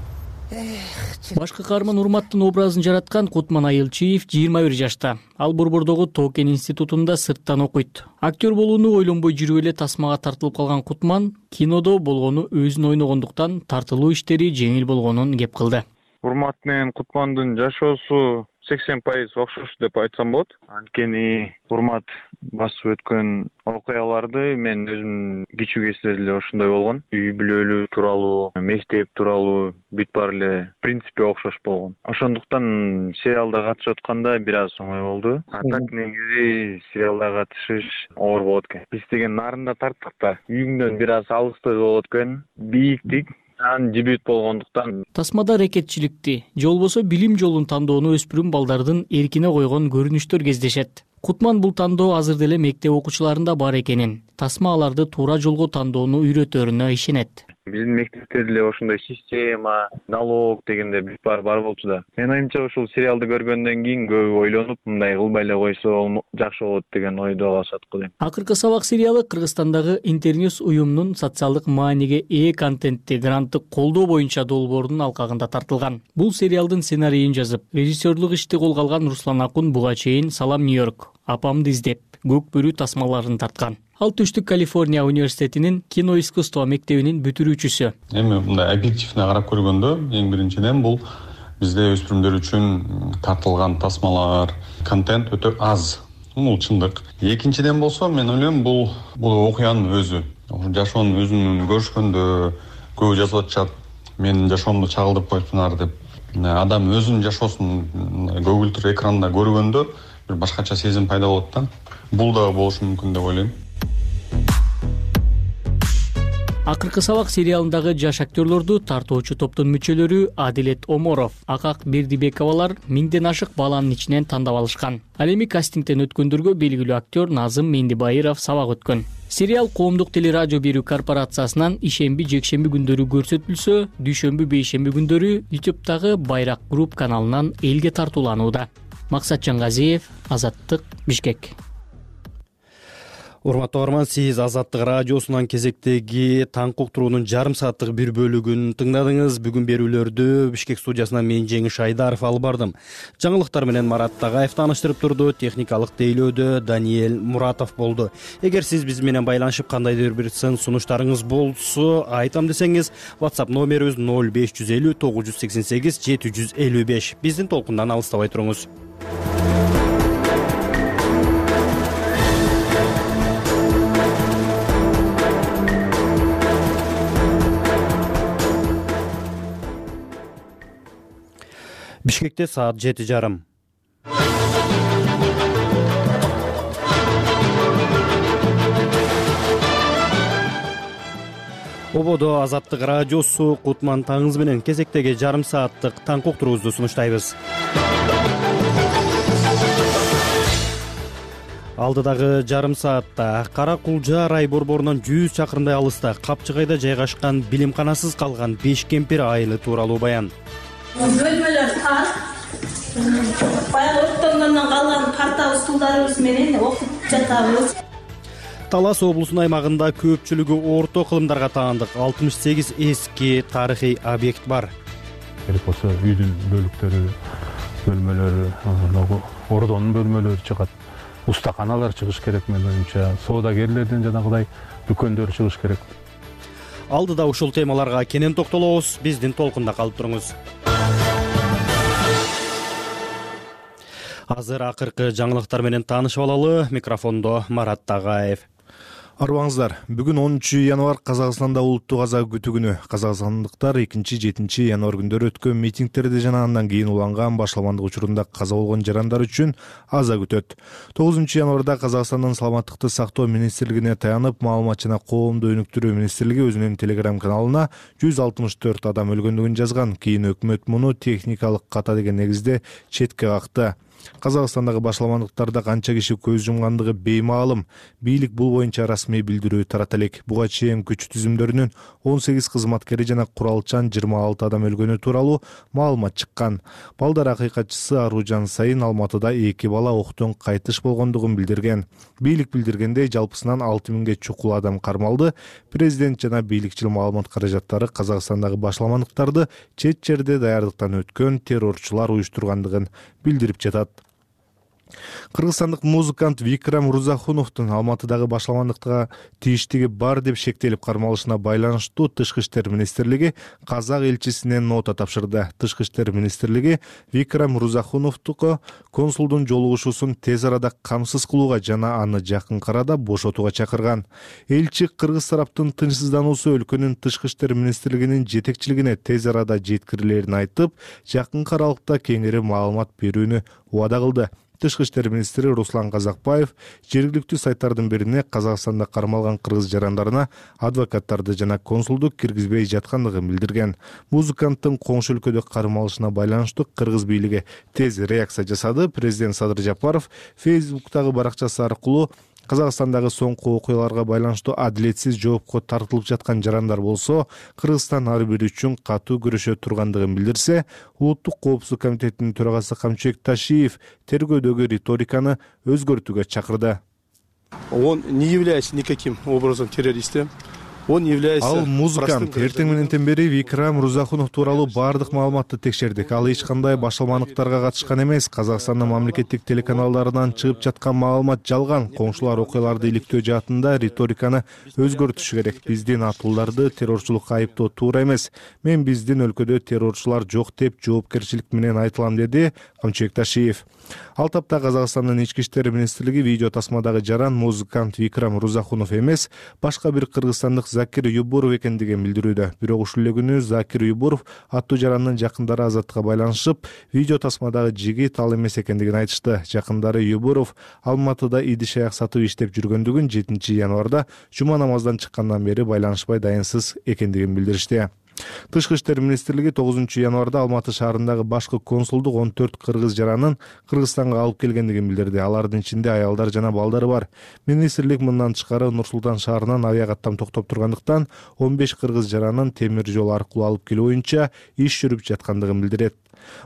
Башкы каарман Урматтын образын жараткан Кутман Айылчиев жыйырма бир жашта. Ал Борбордогу Токен институтунда сырттан окуйт. Актер болууну ойлонбой жүрүп эле тасмага тартылып калган Кутман кинодо болгону өзүн ойногондуктан тартылуу иштери жеңил болгонун кеп кылды. Урмат менен Кутмандын жашоосу сексен пайыз окшош деп айтсам болот. Анткени Урмат басып өткөн окуяларды мен өзүм кичүү кезинде эле ошондой болгон. Үй бүлөлүү тууралуу, мектеп тууралуу бүт баары эле принципи окшош болгон. Ошондуктан сериалда катышып атканда бир аз оңой болду. А так негизи сериалда катышыш оор болот экен. Биз деген нарында тарттык да. Үйүңдөн бир аз алыстай болот экен. Бийиктик ан дебют болгондуктан. Тасмада рекетчиликти, же болбосо билим жолун тандоону өспүрүм балдардын эркине койгон көрүнүштөр кездешет. Кутман бул тандоо азыр деле мектеп окуучуларында бар экенин, тасма аларды туура жолго тандоону үйрөтөрүнө ишенет. Биздин мектепте деле ошондой система, налог дегенде бүт баары бар болчу да. Мен оюмча ушул сериалды көргөндөн кийин көбү ойлонуп, мындай кылбай эле койсо жакшы болот деген ойдо калышат го дейм. Акыркы сабак сериалы Кыргызстандагы Интерньюс уюмунун социалдык мааниге ээ контентти гранттык колдоо боюнча долбоорунун алкагында тартылган. Бул сериалдын сценарийин жазып, режиссерлук ишти колго алган Руслан Акун буга чейин Салам Нью-Йорк, Апамды издеп, Көк бөрү тасмаларын тарткан. Ал Түштүк Калифорния университетинин кино искусство мектебинин бүтүрүүчүсү. Эми мындай объективне карап көргөндө, эң биринчиден бул бизде өспүрүмдөр үчүн тартылган тасмалар, контент өтө аз. Бул чындык. Экинчиден болсо, мен ойлойм, бул бул окуянын өзү. Жашоонун өзүн көрүшкөндө көбү жазып атышат. Менин жашоомду чагылдырып коюптунар деп. Адам өзүнүн жашоосун көгүлтүр экранда көргөндө бир башкача сезим пайда болот да. Бул да болушу мүмкүн деп ойлойм. Акыркы сабак сериалындагы жаш актерлорду тартоочу топтун мүчөлөрү Адилет Оморов, Акак Бердибековалар миңден ашык баланын ичинен тандап алышкан. Ал эми кастингден өткөндөргө белгилүү актер Назым Мендибайыров сабак өткөн. Сериал коомдук телерадио берүү корпорациясынан ишемби жекшемби күндөрү көрсөтүлсө, дүйшөмбү бейшемби күндөрү ютубтагы Байрак групп каналынан элге тартууланууда. Максат Жангазиев, Азаттык, Бишкек. Урматтуу угарман, сиз Азаттык радиосунан кезектеги таң уктуруунун жарым сааттык бир бөлүгүн тыңдадыңыз. Бүгүн берүүлөрдү Бишкек студиясынан мен Жеңиш Айдаров алып бардым. Жаңылыктар менен Марат Тагаев тааныштырып турду. Техникалык тейлөөдө Даниэль Муратов болду. Эгер сиз биз менен байланышып кандайдыр бир сын сунуштарыңыз болсо, айтам десеңиз, WhatsApp номерибиз ноль беш жүз элүү тогуз жүз сексен сегиз жети жүз элүү беш. Биздин толкундан алыстабай туруңуз. Бишкекте саат жети жарым. Ободо Азаттык радиосу Кутман таңыңыз менен кезектеги жарым сааттык таң уктуруубузду сунуштайбыз. Алдыдагы жарым саатта Кара Кулжа рай борборунан жүз чакырымдай алыста Капчыгайда жайгашкан билимканасыз калган беш кемпир айылы тууралуу баян. Бөлмөлөр тар. Баягы оттонгондон калган карта устулдарыбыз менен окуп жатабыз. Талас облусунун аймагында көпчүлүгү орто кылымдарга таандык алтымыш сегиз эски тарыхый объект бар. Керек болсо үйдүн бөлүктөрү, бөлмөлөрү, ордонун бөлмөлөрү чыгат. Устаканалар чыгыш керек менин оюмча. Соодагерлердин жанагыдай дүкөндөр чыгыш керек. Алдыда ушул темаларга кенен токтолобуз. Биздин толкунда калып туруңуз. Азыр акыркы жаңылыктар менен таанышып алалы. Микрофондо Марат Тагаев. Арбаңыздар, бүгүн онунчу январь Казакстанда улуттук аза күтүү күнү. Казакстандыктар экинчи жетинчи январь күндөрү өткөн митингтерди жана андан кийин уланган башаламандык учурунда каза болгон жарандар үчүн аза күтөт. тогузунчу январда Казакстандын саламаттыкты сактоо министрлигине таянып, маалымат жана коомду өнүктүрүү министрлиги өзүнүн телеграм каналына жүз алтымыш төрт адам өлгөндүгүн жазган. Кийин өкмөт муну техникалык ката деген негизде четке какты. Казакстандагы башаламандыктарда канча киши көз жумгандыгы беймаалым. Бийлик бул боюнча расмий билдирүү тарата элек. Буга чейин күч түзүмдөрүнүн он сегиз кызматкери жана куралчан жыйырма алты адам өлгөнү тууралуу маалымат чыккан. Балдар акыйкатчысы Аружан Сайын Алматыда эки бала октон кайтыш болгондугун билдирген. Бийлик билдиргендей, жалпысынан алты миңге чукул адам кармалды. Президент жана бийликчил маалымат каражаттары Казакстандагы башаламандыктарды чет жерде даярдыктан өткөн террорчулар уюштургандыгын билдирип жатат. Кыргызстандык музыкант Викрам Рузахуновдун Алматыдагы башаламандыкка тийиштиги бар деп шектелип кармалышына байланыштуу Тышкы иштер министрлиги казак элчисинен нота тапшырды. Тышкы иштер министрлиги Викрам Рузахуновдуку консулдун жолугушуусун тез арада камсыз кылууга жана аны жакынкы арада бошотууга чакырган. Элчи кыргыз тараптын тынчсыздануусу өлкөнүн Тышкы иштер министрлигинин жетекчилигине тез арада жеткирилерин айтып, жакынкы аралыкта кеңири маалымат берүүнү убада кылды. Тышкы иштер министри Руслан Казакбаев жергиликтүү сайттардын бирине Казакстанда кармалган кыргыз жарандарына адвокаттарды жана консулду киргизбей жаткандыгын билдирген. Музыканттын коңшу өлкөдө кармалышына байланыштуу кыргыз бийлиги тез реакция жасады. Президент Садыр Жапаров Фейсбуктагы баракчасы аркылуу Казакстандагы соңку окуяларга байланыштуу адилетсиз жоопко тартылып жаткан жарандар болсо, Кыргызстан ар бири үчүн катуу күрөшө тургандыгын билдирсе, Улуттук коопсуздук комитетинин төрагасы Камчыбек Ташиев тергөөдөгү риториканы өзгөртүүгө чакырды. Он не является никаким образом террористом. Он является... Ал музыкант. Эртең мененден бери Викрам Рузахунов тууралуу баардык маалыматты текшердик. Ал эч кандай башаламандыктарга катышкан эмес. Казакстандын мамлекеттик телеканалдарынан чыгып жаткан маалымат жалган. Коңшулар окуяларды иликтөө жаатында риториканы өзгөртүшү керек. Биздин атууларды террорчулукка айыптоо туура эмес. Мен биздин өлкөдө террорчулар жок деп жоопкерчилик менен айтылам, деди Камчыбек Ташиев. Ал тапта Казакстандын ички иштер министрлиги видео тасмадагы жаран музыкант Викрам Рузахунов эмес, башка бир кыргызстандык Закир Юбуров экендигин билдирүүдө. Бирок ушул эле күнү Закир Юбуров аттуу жарандын жакындары Азаттыкка байланышып, видео тасмадагы жигит ал эмес экендигин айтышты. Жакындары Юбуров Алматыда идиш аяк сатып иштеп жүргөндүгүн, жетинчи январда жума намаздан чыккандан бери байланышпай дайынсыз экендигин билдиришти. Тышкы иштер министрлиги тогузунчу январда Алматы шаарындагы башкы консулдук он төрт кыргыз жаранын Кыргызстанга алып келгендигин билдирди. Алардын ичинде аялдар жана балдары бар. Министрлик мындан тышкары Нур Султан шаарынан авиакаттам токтоп тургандыктан он беш кыргыз жаранын темир жол аркылуу алып келүү боюнча иш жүрүп жаткандыгын билдирет.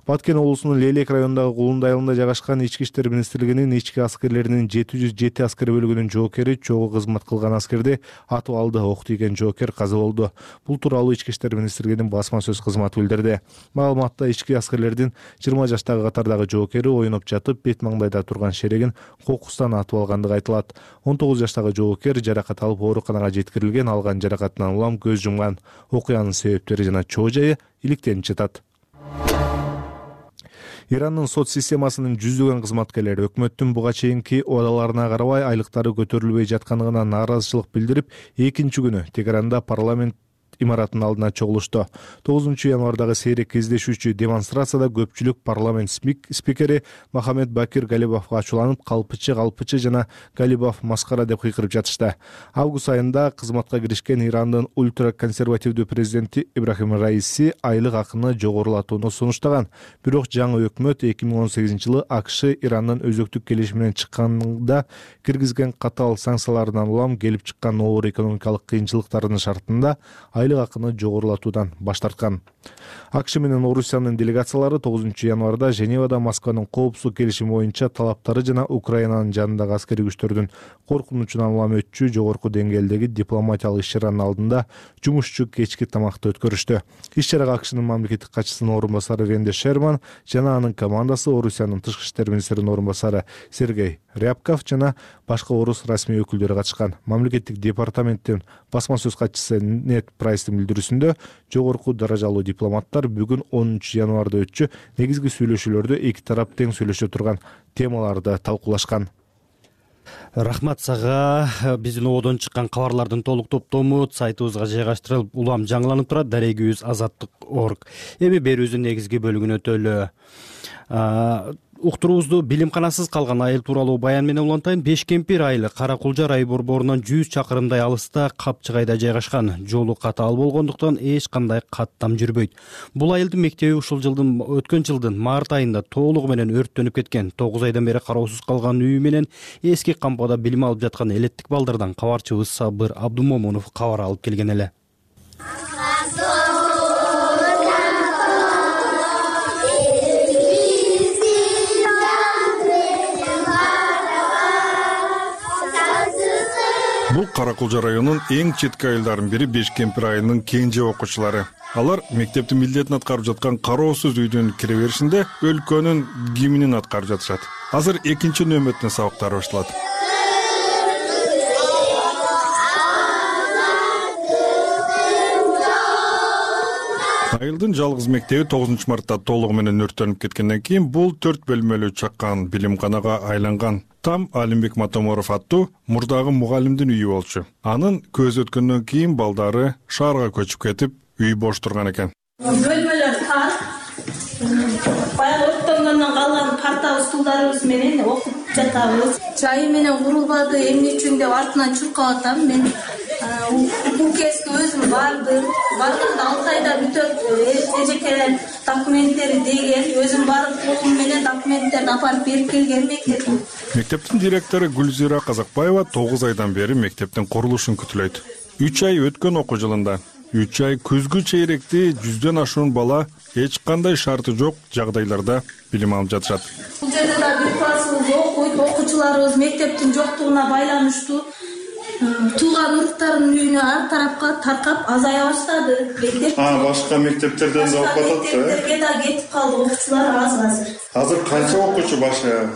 Баткен облусунун Лелек районундагы Кулундай айылында жайгашкан Ички иштер министрлигинин ички аскерлеринин жети жүз жети аскер бөлүгүнүн жоокери чогуу кызмат кылган аскерди атып алды. Ок тийген жоокер каза болду. Бул тууралуу Ички иштер министрлигинин басма сөз кызматы билдирди. Маалыматта ички аскерлердин жыйырма жаштагы катардагы жоокери оюнуп жатып, бет маңдайда турган шерегин кокустан атып алгандыгы айтылат. он тогуз жаштагы жоокер жаракат алып ооруканага жеткирилген, алган жаракатынан улам көз жумган. Окуянын себептери жана чоо жайы иликтенип жатат. Ирандын сот системасынын жүздөгөн кызматкерлери өкмөттүн буга чейинки убадаларына карабай айлыктары көтөрүлбөй жатканына нааразычылык билдирип, экинчи күнү Тегеранда парламент имаратынын алдына чогулушту. тогузунчу январдагы сейрек кездешүүчү демонстрацияда көпчүлүк парламент спикери Махамед Бакир Галибовго ачууланып, калпычы калпычы жана Галибов маскара деп кыйкырып жатышты. Август айында кызматка киришкен Ирандын ультраконсервативдүү президенти Ибрахим Раиси айлык акыны жогорулатууну сунуштаган. Бирок жаңы өкмөт эки миң он сегизинчи жылы АКШ Ирандын өзөктүк келишиминен чыкканда киргизген катаал санкцияларынан улам келип чыккан оор экономикалык кыйынчылыктардын шартында айлык акыны жогорулатуудан баш тарткан. АКШ менен Орусиянын делегациялары тогузунчу январда Женевада Москванын коопсуздук келишими боюнча талаптары жана Украинанын жанындагы аскерий күчтөрдүн коркунучунан улам өтчү жогорку деңгээлдеги дипломатиялык иш-чаранын алдында жумушчу кечки тамакты өткөрүштү. Иш-чарага АКШнын мамлекеттик катчысынын орун басары Венди Шерман жана анын командасы, Орусиянын тышкы иштер министринин орун басары Сергей Рябков жана башка орус расмий өкүлдөрү катышкан. Мамлекеттик департаменттин басма сөз катчысы Нет Прайстын билдирүүсүндө жогорку даражалуу дипломаттар бүгүн онунчу январда өтчү негизги сүйлөшүүлөрдө эки тарап тең сүйлөшө турган темаларды талкуулашкан. Рахмат сага. Биздин ободон чыккан кабарлардын толук топтому сайтыбызга жайгаштырылып, улам жаңыланып турат. Дарегибиз азаттык точка орг. Эми берүүбүздүн негизги бөлүгүнө өтөлү. Уктуруубузду билимканасыз калган айыл тууралуу баян менен улантайын. Бешкемпир айылы Кара Кулжар ай борборунан жүз чакырымдай алыста Капчыгайда жайгашкан. Жолу катаал болгондуктан эч кандай каттам жүрбөйт. Бул айылдын мектеби ушул жылдын өткөн жылдын март айында толугу менен өрттөнүп кеткен. тогуз айдан бери кароосуз калган үйү менен эски кампада билим алып жаткан элеттик балдардан кабарчыбыз Сабыр Абдумомунов кабар алып келген эле. Бул Кара Кулжар районунун эң четки айылдарынын бири Бешкемпир айылынын кенже окуучулары. Алар мектептин милдетин аткарып жаткан кароосуз үйдүн кире беришинде өлкөнүн гимнин аткарып жатышат. Азыр экинчи нөмөттүн сабактары башталат. Айылдын жалгыз мектеби тогузунчу мартта толугу менен өрттөнүп кеткенден кийин бул төрт бөлмөлүү чакан билимканага айланган. Там Алимбек Матоморов аттуу мурдагы мугалимдин үйү болчу. Анын көз өткөндөн кийин балдары шаарга көчүп кетип, үй бош турган экен. Бөлмөлөр тар. Баягы өрттөнгөндөн калган парта стулдарыбыз менен окуп жатабыз. Чайы менен курулбады, эмне үчүн деп артынан чуркап атам мен. Бул кезге өзүм бардым. Бардым да алты айда бүтөт эжекелер документтери деген, өзүм барып колум менен документтерди апарып берип келгем мектепке. Мектептин директору Гүлзира Казакбаева тогуз айдан бери мектептин курулушун күтүлөйт. үч ай өткөн окуу жылында үч ай күзгү чейректи жүздөн ашуун бала эч кандай шарты жок жагдайларда билим алып жатышат. Бул жерде да бир классыбыз окуйт, окуучуларыбыз мектептин жоктугуна байланыштуу тууган уруктардын үйүнө ар тарапка таркап азая баштады. А, башка мектептерден да окуп атат да? Мектептерге да кетип калды, окуучулар аз азыр. Азыр канча окуучу башка?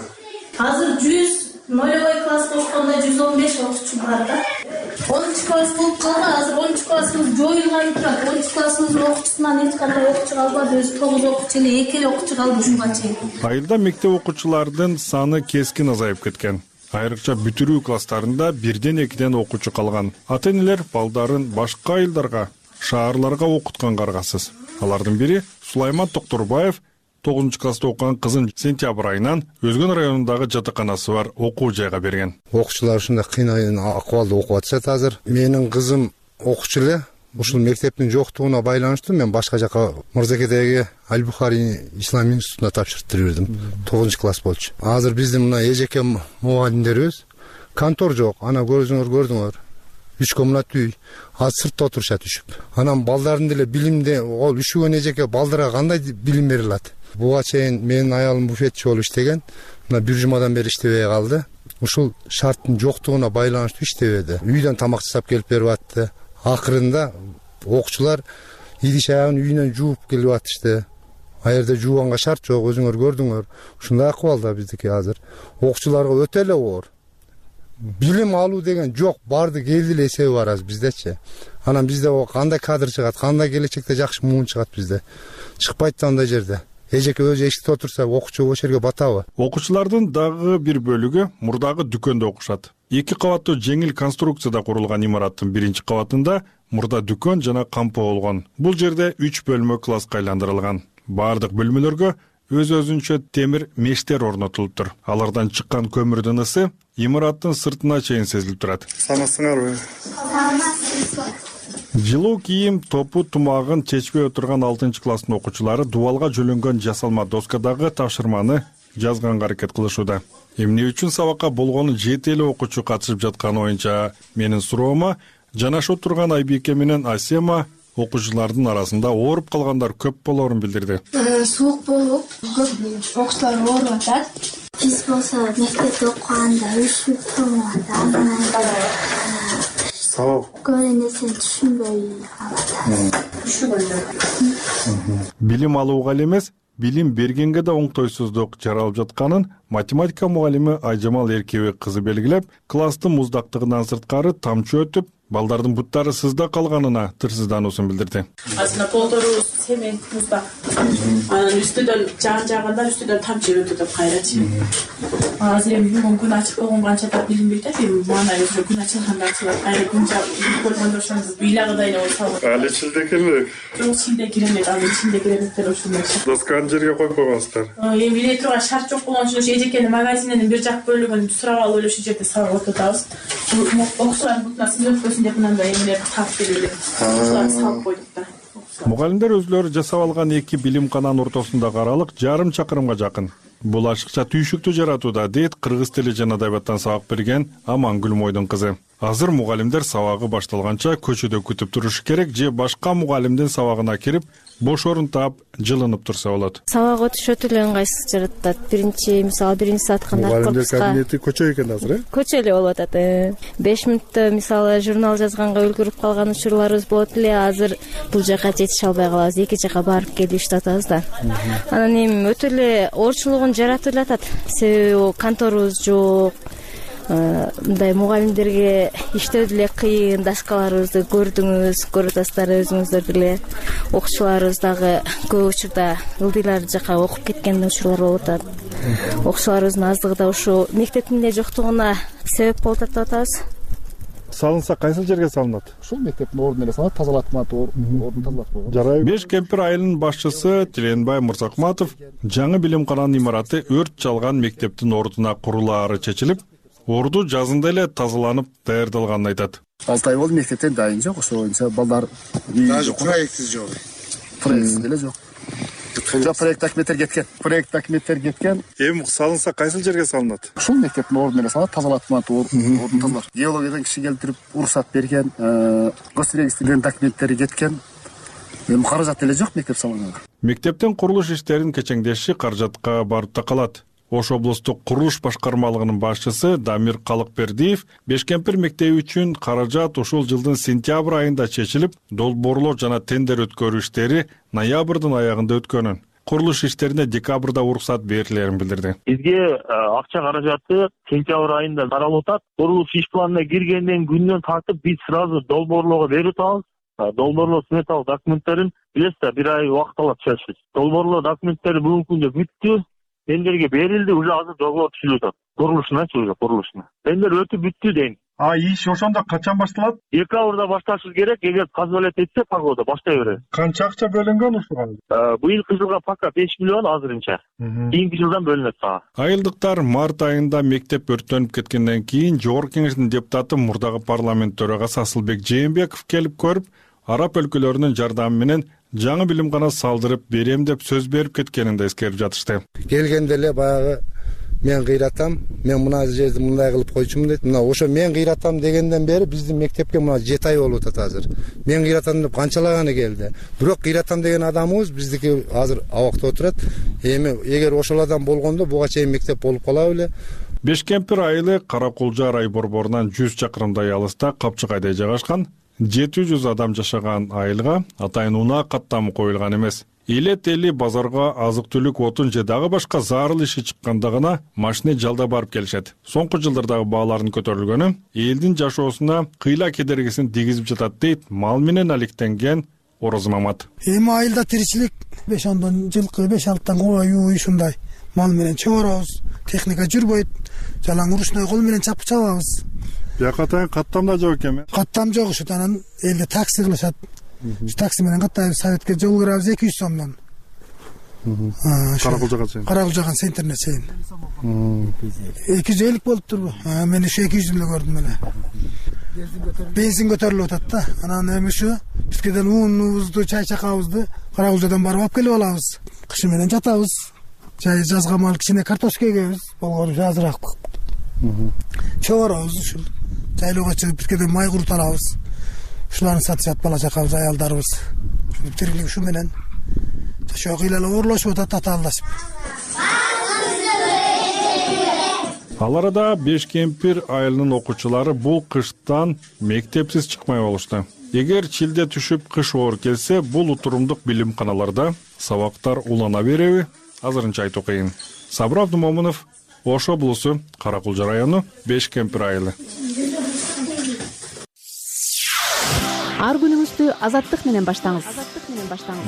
Азыр жүз, нолевой класс кошкондо жүз он беш окуучу бар да. онунчу класс болуп калган, азыр онунчу классыбыз жоюлган турат. онунчу классыбыздын окуучусунан эч кандай окуучу калбады, өзү тогуз окуучу эле, эки эле окуучу калды жумга чейин. Айылда мектеп окуучулардын саны кескин азайып кеткен. Айрыкча бүтүрүү класстарында бирден экиден окуучу калган. Ата-энелер балдарын башка айылдарга, шаарларга окутканга аргасыз. Алардын бири Сулайман Токтурбаев тогузунчу класста окуган кызын сентябрь айынан Өзгөн районундагы жатаканасы бар окуу жайга берген. Окуучулар ушундай кыйын акыбалда окуп атышат азыр. Менин кызым окуучу эле. Ушул мектептин жоктугуна байланыштуу мен башка жака Мырзакедеги Аль-Бухари Ислам институтуна тапшыртып бердим. тогузунчу класс болчу. Азыр биздин мына эжеке мугалимдерибиз контор жок. Ана көрсөңөр көрдүңөр. үч комнат үй. Азыр сыртта отурушат үшүп. Анан балдардын деле билимде ол үшүгөн эжеке балдарга кандай билим бере алат? Буга чейин менин аялым буфетчи болуп иштеген. Мына бир жумадан бери иштебей калды. Ушул шарттын жоктугуна байланыштуу иштебеди. Үйдөн тамак жасап келип берип атты. Акырында окуучулар идиш аягын үйүнөн жууп келип атышты. А жерде жууганга шарт жок, өзүңөр көрдүңөр. Ушундай акыбалда биздики азыр. Окуучуларга өтө эле оор. Билим алуу деген жок, барды келди эле эсеби бар азыр биздечи. Анан бизде кандай кадр чыгат, кандай келечекте жакшы муун чыгат бизде. Чыкпайт да андай жерде. Эжеке өзү эшикте отурса, окуучу ошол жерге батабы? Окуучулардын дагы бир бөлүгү мурдагы дүкөндө окушат. Эки кабаттуу жеңил конструкцияда курулган имараттын биринчи кабатында мурда дүкөн жана кампо болгон. Бул жерде үч бөлмө класска айландырылган. Бардык бөлмөлөргө өз-өзүнчө темир мештер орнотулуптур. Алардан чыккан көмүрдүн ысы имараттын сыртына чейин сезилип турат. Саламатсыңарбы? Жылуу кийим топу тумагын чечпей отурган алтынчы класстын окуучулары дубалга жөлөнгөн жасалма доскадагы тапшырманы жазганга аракет кылышууда. Эмне үчүн сабакка болгону жети эле окуучу катышып жатканы боюнча менин суроома жанашып турган Айбике менен Асема окуучулардын арасында ооруп калгандар көп болоорун билдирди. Суук болуп, көп окуучулар ооруп атат. Биз болсо мектепте окуганда üşүп туруп атат. Сабак көп нерсени түшүнбөй калат. Билим алууга эле эмес, билим бергенге да оңтойсуздук жаралып жатканын математика мугалими Айжамал Эркебек кызы белгилеп, класстын муздактыгынан сырткары тамчы өтүп, балдардын буттары сызда калганына тырсыздануусун билдирди. Азыркы полторубуз цемент муздак. Анан үстүдөн жан жагында үстүдөн тамчы өтүп деп кайрачы. Азыр эми күн ачык болгон канча да билинбейт да, мана өзү күн ачылганда ачылат. Кайра күн көргөндө ошондо билагыдай болсо. Али чилде келбек. Жок, чилде киремет, али чилде киреметтер ошондой. Досканы жерге коюп койгонсуздар. Эми биле турган шарт жок болгон үчүн эжекенин магазининин бир жак бөлүгүн сурап алып ошол жерде сабак отурабыз. Окуучулардын бутуна сыз өтпөсүн деп мындай эмелерди тап берилет. Окуучуларды салып койдук да. Мугалимдер өзлөрү жасап алган эки билимкананын ортосундагы аралык жарым чакырымга жакын. Бул ашыкча түйшүктү жаратууда, дейт кыргыз тили жана адабияттан сабак берген Амангүл Мойдун кызы. Азыр мугалимдер сабагы башталганча көчөдө күтүп турушу керек же башка мугалимдин сабагына кирип, бош орун таап, жылынып турса болот. Сабак өтүш өтө эле ыңгайсыз жаратат. Биринчи, мисалы, биринчи саатка мугалимдер кабинети көчө экен азыр, э? Көчө эле болуп атат. беш мүнөттө мисалы журнал жазганга үлгүрүп калган учурларыбыз болот эле. Азыр бул жака жетише албай калабыз. Эки жака барып келип иштатабыз да. Анан эми өтө эле оорчулугун жаратып атат. Себеби конторубуз жок. Мындай мугалимдерге иштөө деле кыйын, доскаларыбызды көрдүңүз, көрүп атасыздар өзүңүздөр деле. Окуучуларыбыз дагы көп учурда ылдыйлар жака окуп кеткен учурлар болуп атат. Окуучуларыбыздын аздыгы да ушу мектептин эле жоктугуна себеп болуп атат деп атабыз. Салынса кайсыл жерге салынат? Ушул мектептин ордуна эле салат, тазалатмат, ордун тазалатып койгон. Жарайбы. Беш кемпир айылынын башчысы Тиленбай Мырзакматов жаңы билимкананын имараты өрт чалган мектептин ордуна курулаары чечилип, орду жазында эле тазаланып даярдалганын айтат. алты ай болду, мектептен дайын жок, ошол боюнча балдар даже проектсиз жок. Проектсиз деле жок. Жок, проект документтер кеткен. Проект документтер кеткен. Эми салынса кайсыл жерге салынат? Ушул мектептин ордуна эле салат, тазалатмат, ордун тазалар. Геологиядан киши келтирип уруксат берген, госрегистрден документтери кеткен. Эми каражат деле жок мектеп салганга. Мектептин курулуш иштерин кечеңдеши каражатка барып такалат. Ош облустук курулуш башкармалыгынын башчысы Дамир Калыкбердиев Бешкемпир мектеби үчүн каражат ушул жылдын сентябрь айында чечилип, долбоорлоо жана тендер өткөрүү иштери ноябрдын аягында өткөнүн. Курулуш иштерине декабрда уруксат берилерин билдирди. Бизге акча каражаты сентябрь айында таралып атат. Курулуш иш планына киргенден күндөн тартып биз сразу долбоорлоого берип атабыз. Долбоорлоо сметалык документтерин билесиз да, бир ай убакыт алат чечиш. Долбоорлоо документтери бүгүнкү күндө бүттү. тендерге берилди, уже азыр договор түзүлүп атат. Курулушуначы уже курулушуна. Тендер өтүп бүттү дейм. А иш ошондо качан башталат? Декабрда башташыбыз керек. Эгер позволять этсе, погода баштай берет. Канча акча бөлүнгөн ушуга? Быйылкы жылга пока беш миллион азырынча. Кийинки жылдан бөлүнөт сага. Айылдыктар март айында мектеп өрттөнүп кеткенден кийин Жогорку Кеңештин депутаты мурдагы парламент төрагасы Асылбек Жээнбеков келип көрүп, араб өлкөлөрүнүн жардамы менен жаңы билимкана салдырып берем деп сөз берип кеткенин да эскерип жатышты. Келгенде эле баягы мен кыйратам, мен мына жерди мындай кылып койчумун дейт. Мына ошо мен кыйратам дегенден бери биздин мектепке мына жети ай болуп атат азыр. Мен кыйратам деп канчалаганы келди. Бирок кыйратам деген адамыбыз биздики азыр абакта отурат. Эми эгер ошол адам болгондо буга чейин мектеп болуп кала беле. Бешкемпир айылы Каракулжа рай борборунан жүз чакырымдай алыста Капчыгайда жайгашкан жети жүз адам жашаган айылга атайын унаа каттамы коюлган эмес. Элет эли базарга азык-түлүк, отун же дагы башка зарыл иши чыкканда гана машина жалдап барып келишет. Соңку жылдардагы баалардын көтөрүлгөнү элдин жашоосуна кыйла кедергисин тийгизип жатат дейт мал менен алектенген Ороз Мамат. Эми айылда тиричилик беш ондон жылкы, беш алтыдан кою ушундай мал менен чыгарабыз. Техника жүрбөйт. Жалаң урушной кол менен чапып чабабыз. Бияка атайын каттам да жок экен. Каттам жок, ушу анан элде такси кылышат. Такси менен каттайбыз, советке жол кырабыз эки жүз сомдон. Каракулжага чейин. Каракулжага центрине чейин. эки жүз элүү болуптурбу? Мен ушу эки жүз элүү көрдүм эле. Бензин көтөрүлүп атат да. Анан эми ушу бизгеден унубузду, чай чакабызды Каракулжадан барып алып келип алабыз. Кышы менен жатабыз. Жай жазга мал кичине картошка эгебиз, болгону азыраак. Чоорабыз ушул. Жайлоого чыгып бизгеден май курут алабыз. Ушуларды сатышат бала чакабыз, аялдарыбыз. Ушуну тирилик ушу менен жашоо кыйла оорлошуп атат татаалдашып. Ал арада Бешкемпир айылынын окуучулары бул кыштан мектепсиз чыкмай болушту. Эгер чилде түшүп кыш оор келсе, бул утурумдук билимканаларда сабактар улана береби? Азырынча айтуу кыйын. Сабыр Абдумомунов, Ош облусу, Каракулжа району, Бешкемпир айылы. Ар күнүңүздү азаттык менен баштаңыз.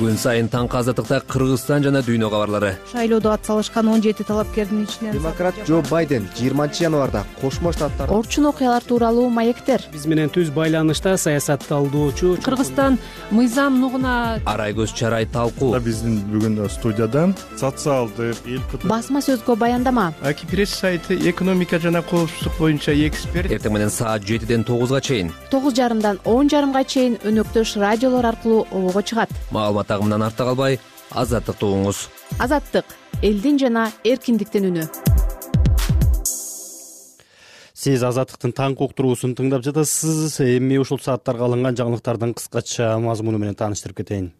Күн сайын таңкы азаттыкта Кыргызстан жана дүйнө кабарлары. Шайлоодо ат салышкан он жети талапкердин ичинен демократ Джо Байден жыйырманчы январда Кошмо Штаттар орчун окуялар тууралуу маектер. Биз менен түз байланышта саясатты алдоочу Кыргызстан мыйзам нугуна Арай көз чарай талкуу. Биздин бүгүн студиядан социалдык эл басма сөзгө баяндама. Аки пресс сайты экономика жана коопсуздук боюнча эксперт. Эртең менен саат жетиден тогузга чейин. тогуз жарымдан он жарымга чейин өнөктөш радиолор аркылуу обого чыгат. Маалымат агымынан артта калбай, азаттыкты угуңуз. Азаттык элдин жана эркиндиктин үнү. Сиз азаттыктын таңкы уктуруусун тыңдап жатасыз. Эми ушул сааттарга алынган жаңылыктардын кыскача мазмуну менен тааныштырып кетейин.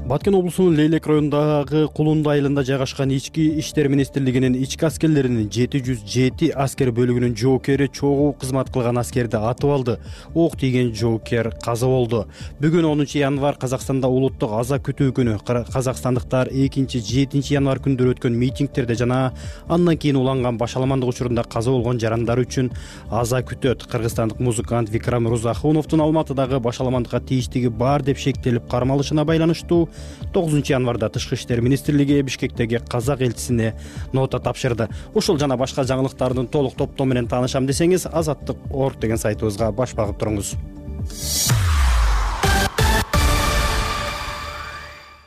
Баткен облусунун Лейлек районундагы Кулунду айылында жайгашкан Ички иштер министрлигинин ички аскерлеринин жети жүз жети аскер бөлүгүнүн жоокери чогуу кызмат кылган аскерди атып алды. Ок тийген жоокер каза болду. Бүгүн онунчу январь Казакстанда улуттук аза күтүү күнү. Казакстандыктар экинчи жетинчи январь күндөрү өткөн митингтерде жана андан кийин уланган башаламандык учурунда каза болгон жарандар үчүн аза күтөт. Кыргызстандык музыкант Викрам Рузахуновдун Алматыдагы башаламандыкка тийиштиги бар деп шектелип кармалышына байланыштуу тогузунчу январда Тышкы иштер министрлиги Бишкектеги казак элчисине нота тапшырды. Ушул жана башка жаңылыктардын толук топтому менен таанышам десеңиз, азаттык точка орг деген сайтыбызга баш багып туруңуз.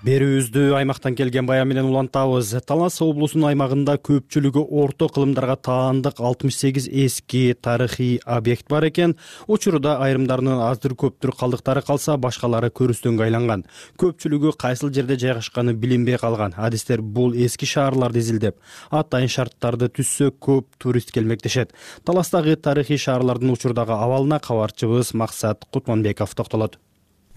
Берүүбүздү аймактан келген баян менен улантабыз. Талас облусунун аймагында көпчүлүгү орто кылымдарга таандык алтымыш сегиз эски тарыхый объект бар экен. Учурда айрымдарынын аздыр көптүр калдыктары калса, башкалары көрүстөнгө айланган. Көпчүлүгү кайсыл жерде жайгашканы билинбей калган. Адистер бул эски шаарларды изилдеп, атайын шарттарды түзсө көп турист келмектешет. Таластагы тарыхый шаарлардын учурдагы абалына кабарчыбыз Максат Кутманбеков токтолот.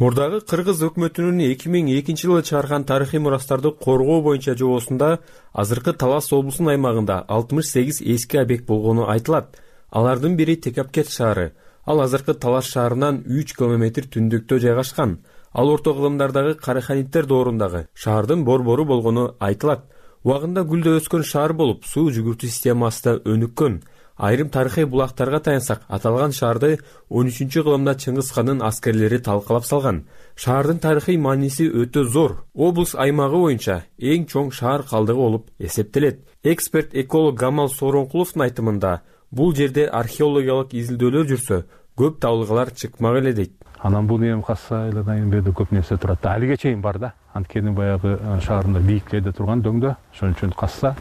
Мурдагы Кыргыз өкмөтүнүн эки миң экинчи жылы чыгарган тарыхый мурастарды коргоо боюнча жобосунда азыркы Талас облусунун аймагында алтымыш сегиз эски объект болгону айтылат. Алардын бири Текапкет шаары. Ал азыркы Талас шаарынан үч километр түндүктө жайгашкан. Ал орто кылымдардагы Караханиттер доорундагы шаардын борбору болгону айтылат. Убагында гүлдө өскөн шаар болуп, суу жүгүртүү системасы да өнүккөн. айрым тарыхый булактарга таянсак, аталган шаарды он үчүнчү кылымда Чыңгыз хандын аскерлери талкалап салган. Шаардын тарыхый мааниси өтө зор. Облус аймагы боюнча эң чоң шаар калдыгы болуп эсептелет. Эксперт эколог Гамал Сооронкуловдун айтымында, бул жерде археологиялык изилдөөлөр жүрсө, көп табылгалар чыкмак эле дейт. Анан бул эми касса эле берде көп нерсе турат. Алиге чейин бар да. Анткени баягы шаарында бийиклерде турган дөңдө, ошон үчүн касса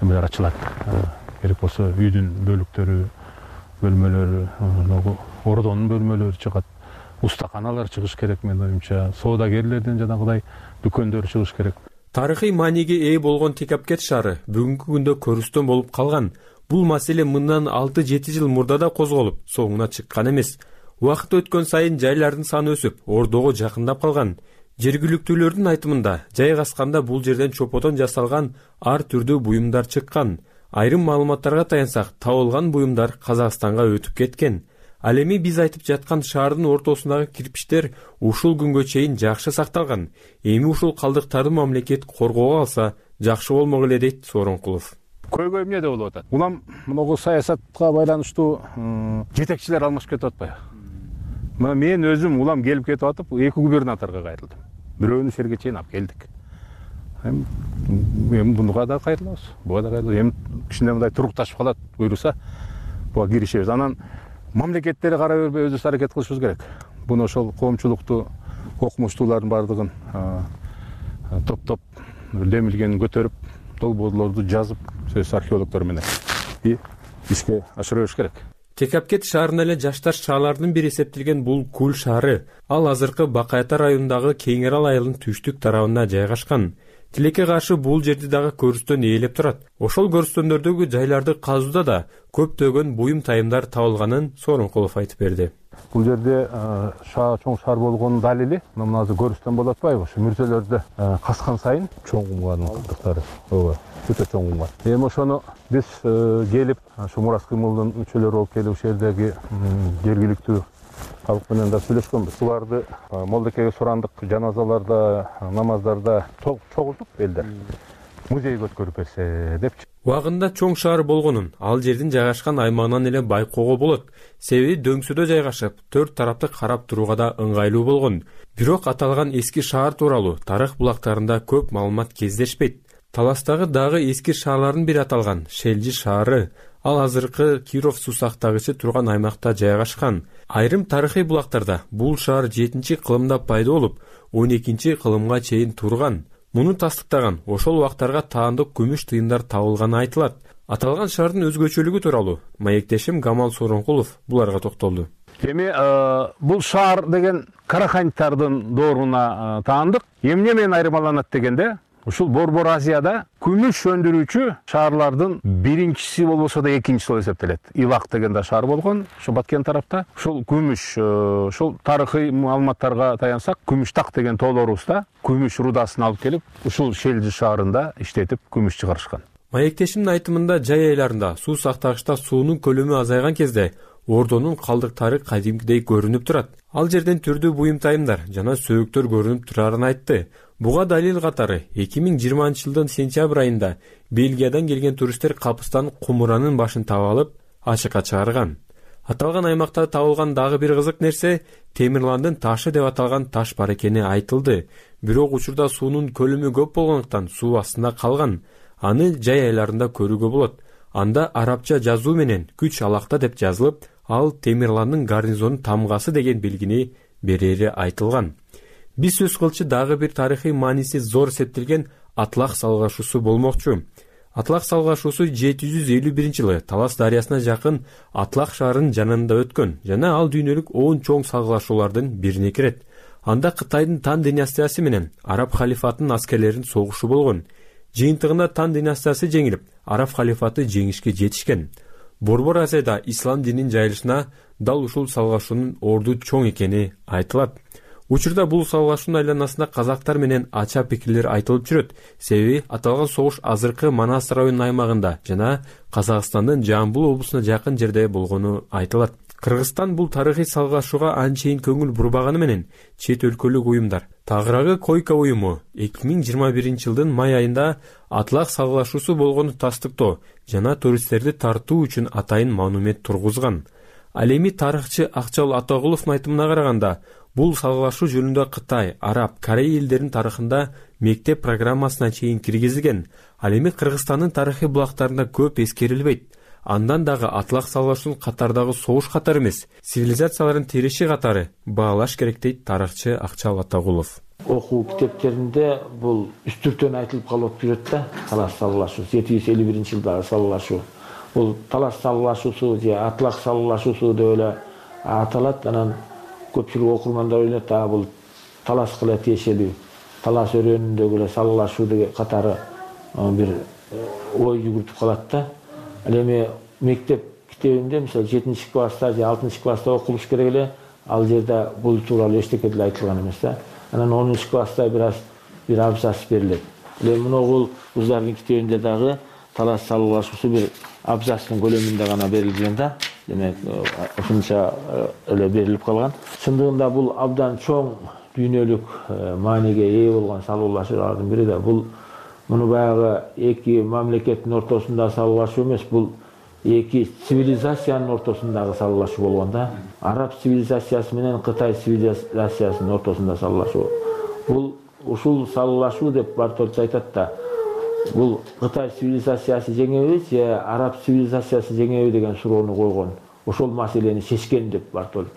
эмелер ачылат. Керек болсо үйдүн бөлүктөрү, бөлмөлөрү, ордонун бөлмөлөрү чыгат. Устаканалар чыгыш керек менин оюмча. Соодагерлерден жанагыдай дүкөндөр чыгыш керек. Тарыхый мааниге ээ болгон Текапкет шаары бүгүнкү күндө көрүстөн болуп калган. Бул маселе мындан алты жети жыл мурда да козголуп, соңуна чыккан эмес. Убакыт өткөн сайын жайлардын саны өсүп, ордого жакындап калган. Жергиликтүүлөрдүн айтымында, жайгасканда бул жерден чоподон жасалган ар түрдүү буюмдар чыккан. Айрым маалыматтарга таянсак, табылган буюмдар Казакстанга өтүп кеткен. Ал эми биз айтып жаткан шаардын ортосундагы кирпичтер ушул күнгө чейин жакшы сакталган. Эми ушул калдыктарды мамлекет коргоого алса, жакшы болмок эле дейт Сооронкулов. Көйгөй эмне болуп атат? Улам могу саясатка байланыштуу жетекчилер алмашып кетип атпайбы? Мына мен өзүм улам келип кетип атып, эки губернаторго кайрылдым. Бирөөнү жерге чейин алып келдик. Эми буга да кайрылабыз, буга да кайрылабыз. Эми кичине мындай турукташып калат, буйруса, буга киришебиз. Анан мамлекеттери карай бербей өзүбүз аракет кылышыбыз керек. Буну ошол коомчулукту, окумуштуулардын бардыгын топтоп, демилгенин көтөрүп, долбоорлорду жазып, сөз археологдор менен и ишке ашыра бериш керек. Текапкет шаарына эле жаштар шаарлардын бири эсептелген бул Кул шаары. Ал азыркы Бакайта районундагы Кеңер Арал айылынын түштүк тарабында жайгашкан. Тилекке каршы бул жерди дагы көрүстөн ээлеп турат. Ошол көрүстөндөрдөгү жайларды казууда да көптөгөн буюм тайымдар табылганын Сооронкулов айтып берди. Бул жерде чоң шаар болгонун далили мына азыр көрүстөн болуп атпайбы? Ушу мүрзөлөрдө каскан сайын чоң кумгардын калдыктары. Ооба, өтө чоң кумгар. Эми ошону биз келип, ушу Мурас кыймылдын мүчөлөрү болуп келип, ушул жердеги жергиликтүү халык менен да сүйлөшкөнбүз. Буларды Молдекеге сурандык, жаназаларда, намаздарда чогултуп элдер музейге өткөрүп берсе депчи. Убагында чоң шаар болгонун, ал жердин жайгашкан аймагынан эле байкоого болот. Себеби дөңсөдө жайгашып, төрт тарапты карап турууга да ыңгайлуу болгон. Бирок аталган эски шаар тууралуу тарых булактарында көп маалымат кездешпейт. Таластагы дагы эски шаарлардын бири аталган Шелжи шаары. Ал азыркы Киров суу сактагычы турган аймакта жайгашкан. Айрым тарыхый булактарда бул шаар жетинчи кылымда пайда болуп, он экинчи кылымга чейин турган. Муну тастыктаган ошол убактарга таандык күмүш тыйындар табылганы айтылат. Аталган шаардын өзгөчөлүгү тууралуу маектешим Гамал Сооронкулов буларга токтолду. Эми бул шаар деген Караханьтардын дооруна таандык. Эмне менен айырмаланат дегенде, ушул Борбор Азияда күмүш өндүрүүчү шаарлардын биринчиси болбосо да экинчиси болуп эсептелет. Илак деген да шаар болгон, ошо Баткен тарапта. Ушул күмүш, ушул тарыхый маалыматтарга таянсак, Күмүштак деген тоолорубузда күмүш рудасын алып келип, ушул Шелжи шаарында иштетип күмүш чыгарышкан. Маектешимдин айтымында жай айларында суу сактагычта суунун көлөмү азайган кезде ордонун калдыктары кадимкидей көрүнүп турат. Ал жерден түрдүү буюм тайымдар жана сөөктөр көрүнүп турарын айтты. Буга далил катары эки миң жыйырманчы жылдын сентябрь айында Бельгиядан келген туристтер капыстан кумуранын башын таап алып, ачыкка чыгарган. Аталган аймакта табылган дагы бир кызык нерсе Темирландын ташы деп аталган таш бар экени айтылды. Бирок учурда суунун көлөмү көп болгондуктан суу астында калган. Аны жай айларында көрүүгө болот. Анда арабча жазуу менен күч алакта деп жазылып, ал Темирландын гарнизонун тамгасы деген белгини берери айтылган. Биз сөз кылчу дагы бир тарыхый мааниси зор эсептелген Атлах салгашуусу болмокчу. Атлах салгашуусу жети жүз элүү биринчи жылы Талас дарыясына жакын Атлах шаарынын жанында өткөн жана ал дүйнөлүк он чоң салгылашуулардын бирине кирет. Анда Кытайдын Тан династиясы менен Араб халифатынын аскерлеринин согушу болгон. Жыйынтыгында Тан династиясы жеңилип, Араб халифаты жеңишке жетишкен. Борбор Азияда ислам дининин жайылышына дал ушул салгашуунун орду чоң экени айтылат. Учурда бул салгашуунун айланасында казактар менен ача пикирлер айтылып жүрөт. Себеби аталган согуш азыркы Манас районунун аймагында жана Казакстандын Жамбыл облусуна жакын жерде болгону айтылат. Кыргызстан бул тарыхый салгашууга анчейин көңүл бурбаганы менен чет өлкөлүк уюмдар Тагыраагы койка уюму эки миң жыйырма биринчи жылдын май айында атлак салгылашуусу болгону тастыктоо жана туристтерди тартуу үчүн атайын монумент тургузган. Ал эми тарыхчы Акчал Атагуловдун айтымына караганда, бул салгылашуу жөнүндө Кытай, Араб, Корей элдеринин тарыхында мектеп программасына чейин киргизилген. Ал эми Кыргызстандын тарыхый булактарында көп эскерилбейт. Андан дагы атлак салгылашуунун катардагы согуш катары эмес, цивилизациялардын тиреши катары баалаш керек дейт тарыхчы Акчал Атагулов. Окуу китептеринде бул үстүртөн айтылып калып жүрөт да, талас салгылашуусу жети жүз элүү биринчи жылдагы салгылашуу. Бул талас салгылашуусу же атлак салгылашуусу деп эле аталат. Анан көпчүлүк окурмандар ойлойт, а бул таласка эле тиешелүү, талас өрөөнүндөгү эле салгылашуу деген катары бир ой жүгүртүп калат да. Ал эми мектеп китебинде мисалы жетинчи класста же алтынчы класста окулуш керек эле, ал жерде бул тууралуу эчтеке деле айтылган эмес да. Анан онунчу класста бир аз бир абзац берилет. Эле моногул кыздардын китебинде дагы талас салгылашуусу бир абзацтын көлөмүндө гана берилген да. Демек, ошончо эле берилип калган. Чындыгында бул абдан чоң дүйнөлүк мааниге ээ болгон салгылашуулардын бири да. Бул муну баягы эки мамлекеттин ортосунда салгылашуу эмес, бул эки цивилизациянын ортосундагы салгылашуу болгон да. Араб цивилизациясы менен Кытай цивилизациясынын ортосунда салгылашуу. Бул ушул салгылашуу деп Бартолч айтат да. Бул Кытай цивилизациясы жеңеби же Араб цивилизациясы жеңеби деген суроону койгон. Ошол маселени чечкен деп Бартолч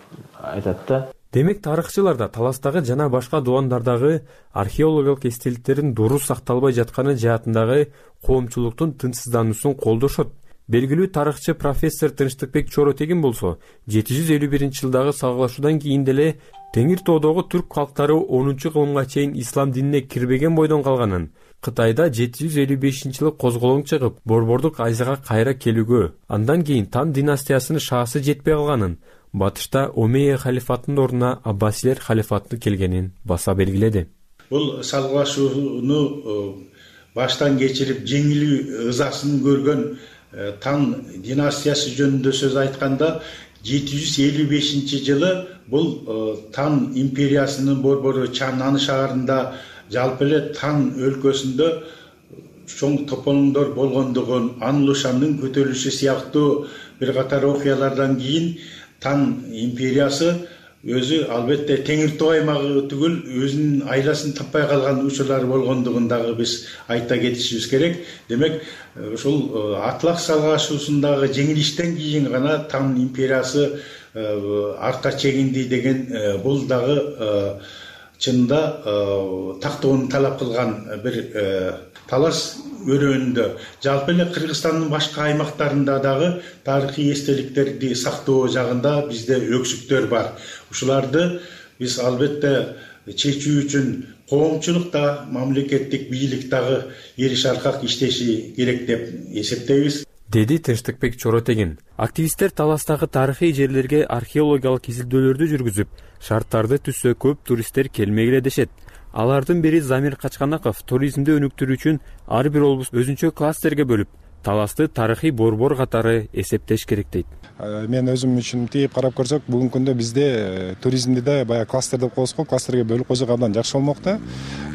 айтат да. Демек, тарыхчылар да таластагы жана башка дубандардагы археологиялык эстеликтердин дурус сакталбай жатканы жаатындагы коомчулуктун тынчсыздануусун колдошот. Белгилүү тарыхчы профессор Тынчтыкбек Чоротегин болсо, жети жүз элүү биринчи жылдагы салгылашуудан кийин деле Теңир тоодогу түрк калктары онунчу кылымга чейин ислам динине кирбеген бойдон калганын, Кытайда жети жүз элүү бешинчи жылы козголоң чыгып, Борбордук Азияга кайра келүүгө, андан кийин Тан династиясынын шаасы жетпей калганын, батышта Омейя халифатынын ордуна Аббасилер халифаты келгенин баса белгиледи. Бул салгылашууну баштан кечирип жеңилүү ызасын көргөн Тан династиясы жөнүндө сөз айтканда, жети жүз элүү бешинчи жылы бул Тан империясынын борбору Чаннан шаарында, жалпы эле Тан өлкөсүндө чоң тополоңдор болгондугун, Анлушандын көтөрүлүшү сыяктуу бир катар окуялардан кийин Тан империясы өзү албетте Теңир тоо аймагы түгүл өзүнүн айласын таппай калган учурлар болгондугун дагы биз айта кетишибиз керек. Демек, ушул атлак салгылашуусундагы жеңилиштен кийин гана Тан империясы артка чегинди деген бул дагы чынында тактоону талап кылган бир талас өрөөнүндө. Жалпы эле Кыргызстандын башка аймактарында дагы тарыхый эстеликтерди сактоо жагында бизде өксүктөр бар. Ушуларды биз албетте чечүү үчүн коомчулук да, мамлекеттик бийлик дагы эриш аркак иштеши керек деп эсептейбиз, деди Тынчтыкбек Чоротегин. Активисттер таластагы тарыхый жерлерге археологиялык изилдөөлөрдү жүргүзүп, шарттарды түзсө көп туристтер келмегиле дешет. Алардын бири Замир Качканаков туризмди өнүктүрүү үчүн ар бир облус өзүнчө кластерге бөлүп, таласты тарыхый борбор катары эсептеш керек дейт. Мен өзүм үчүн тийип карап көрсөк, бүгүнкү күндө бизде туризмди да баягы кластер деп коебуз го, кластерге бөлүп койсок абдан жакшы болмок да.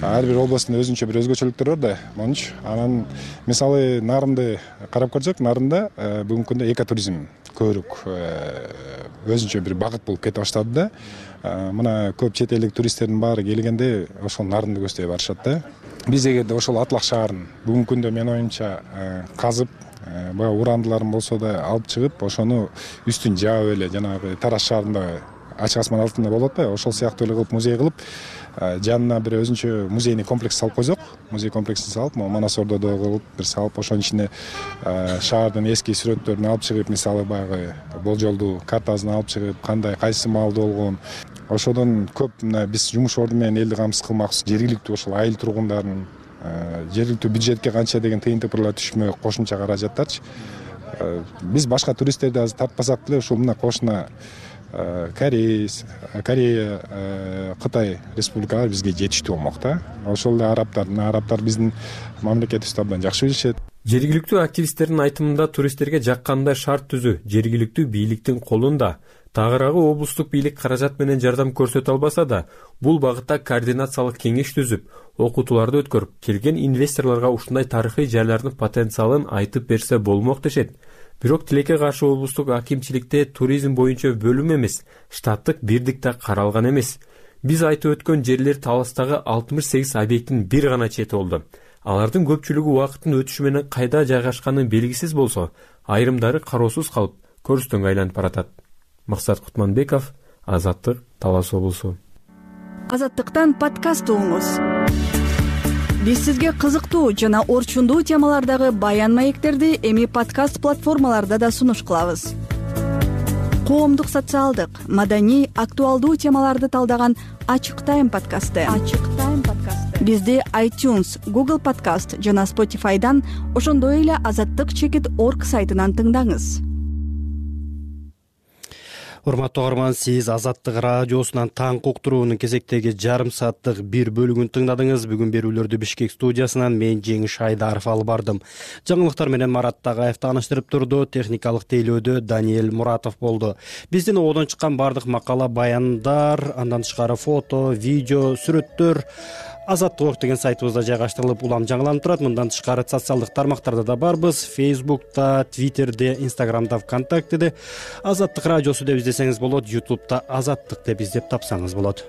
Ар бир областын өзүнчө бир өзгөчөлүктөрү бар да. Монуч анан мисалы Нарынды карап көрсөк, Нарында бүгүнкү күндө экотуризм көбүрөөк өзүнчө бир багыт болуп кете баштады да. Мына көп чет элдик туристтердин баары келгенде ошол Нарынды көздөй барышат да. Биз эгерде ошол атлак шаарын бүгүнкү күндө менин оюмча казып, баягы урандыларын болсо да алып чыгып, ошону үстүн жаап эле жанагы Тараз шаарында ачык асман алтында болот атпайбы, ошол сыяктуу эле кылып музей кылып, жанына бир өзүнчө музейный комплекс салып койсок, музей комплексин салып, Манас Ордодо кылып бир салып, ошонун ичине шаардын эски сүрөттөрүн алып чыгып, мисалы баягы болжолдуу картасын алып чыгып, кандай кайсы маалда болгон, ошодон көп мына биз жумуш орду менен элди камсыз кылмакчы, жергиликтүү ошол айыл тургундарын жергиликтүү бюджетке канча деген тыйын тыпырлар түшмөй кошумча каражаттарчы. Биз башка туристтерди азыр тартпасак деле ушул мына кошуна Корея, Корея, Кытай республикалары бизге жетиштүү болмок да. Ошол эле арабтар, арабтар биздин мамлекетибизди абдан жакшы билишет. Жергиликтүү активисттердин айтымында туристтерге жаккандай шарт түзүү жергиликтүү бийликтин колунда. Тагыраагы облустук бийлик каражат менен жардам көрсөтө албаса да, бул багытта координациялык кеңеш түзүп, окутууларды өткөрүп, келген инвесторлорго ушундай тарыхый жайлардын потенциалын айтып берсе болмок дешет. Бирок тилекке каршы облустук акимчиликте туризм боюнча бөлүм эмес, штаттык бирдик да каралган эмес. Биз айтып өткөн жерлер Таластагы алтымыш сегиз объекттин бир гана чети болду. Алардын көпчүлүгү убакыттын өтүшү менен кайда жайгашканы белгисиз болсо, айрымдары кароосуз калып, көрүстөнгө айланып баратат. Максат Кутманбеков, Азаттык, Талас облусу. Азаттыктан подкаст угуңуз. Биз сизге кызыктуу жана орчундуу темалардагы баян маектерди эми подкаст платформаларда да сунуш кылабыз. Коомдук, социалдык, маданий, актуалдуу темаларды талдаган Ачык Тайм подкасты. Ачык Тайм подкасты. Бизди iTunes, Google Podcast жана Spotify'дан, ошондой эле азаттык чекит точка орг сайтынан тыңдаңыз. Урматтуу угарман, сиз Азаттык радиосунан таң уктуруунун кезектеги жарым сааттык бир бөлүгүн тыңдадыңыз. Бүгүн берүүлөрдү Бишкек студиясынан мен Жеңиш Айдаров алып бардым. Жаңылыктар менен Марат Тагаев тааныштырып турду. Техникалык тейлөөдө Даниэль Муратов болду. Биздин одон чыккан бардык макала, баяндар, андан тышкары фото, видео, сүрөттөр Азаттык деген сайтыбызда жайгаштырылып, улам жаңыланып турат. Мындан тышкары социалдык тармактарда да барбыз. Фейсбукта, Твиттерде, Инстаграмда, ВКонтактеде Азаттык радиосу деп издесеңиз болот. Ютубта Азаттык деп издеп тапсаңыз болот.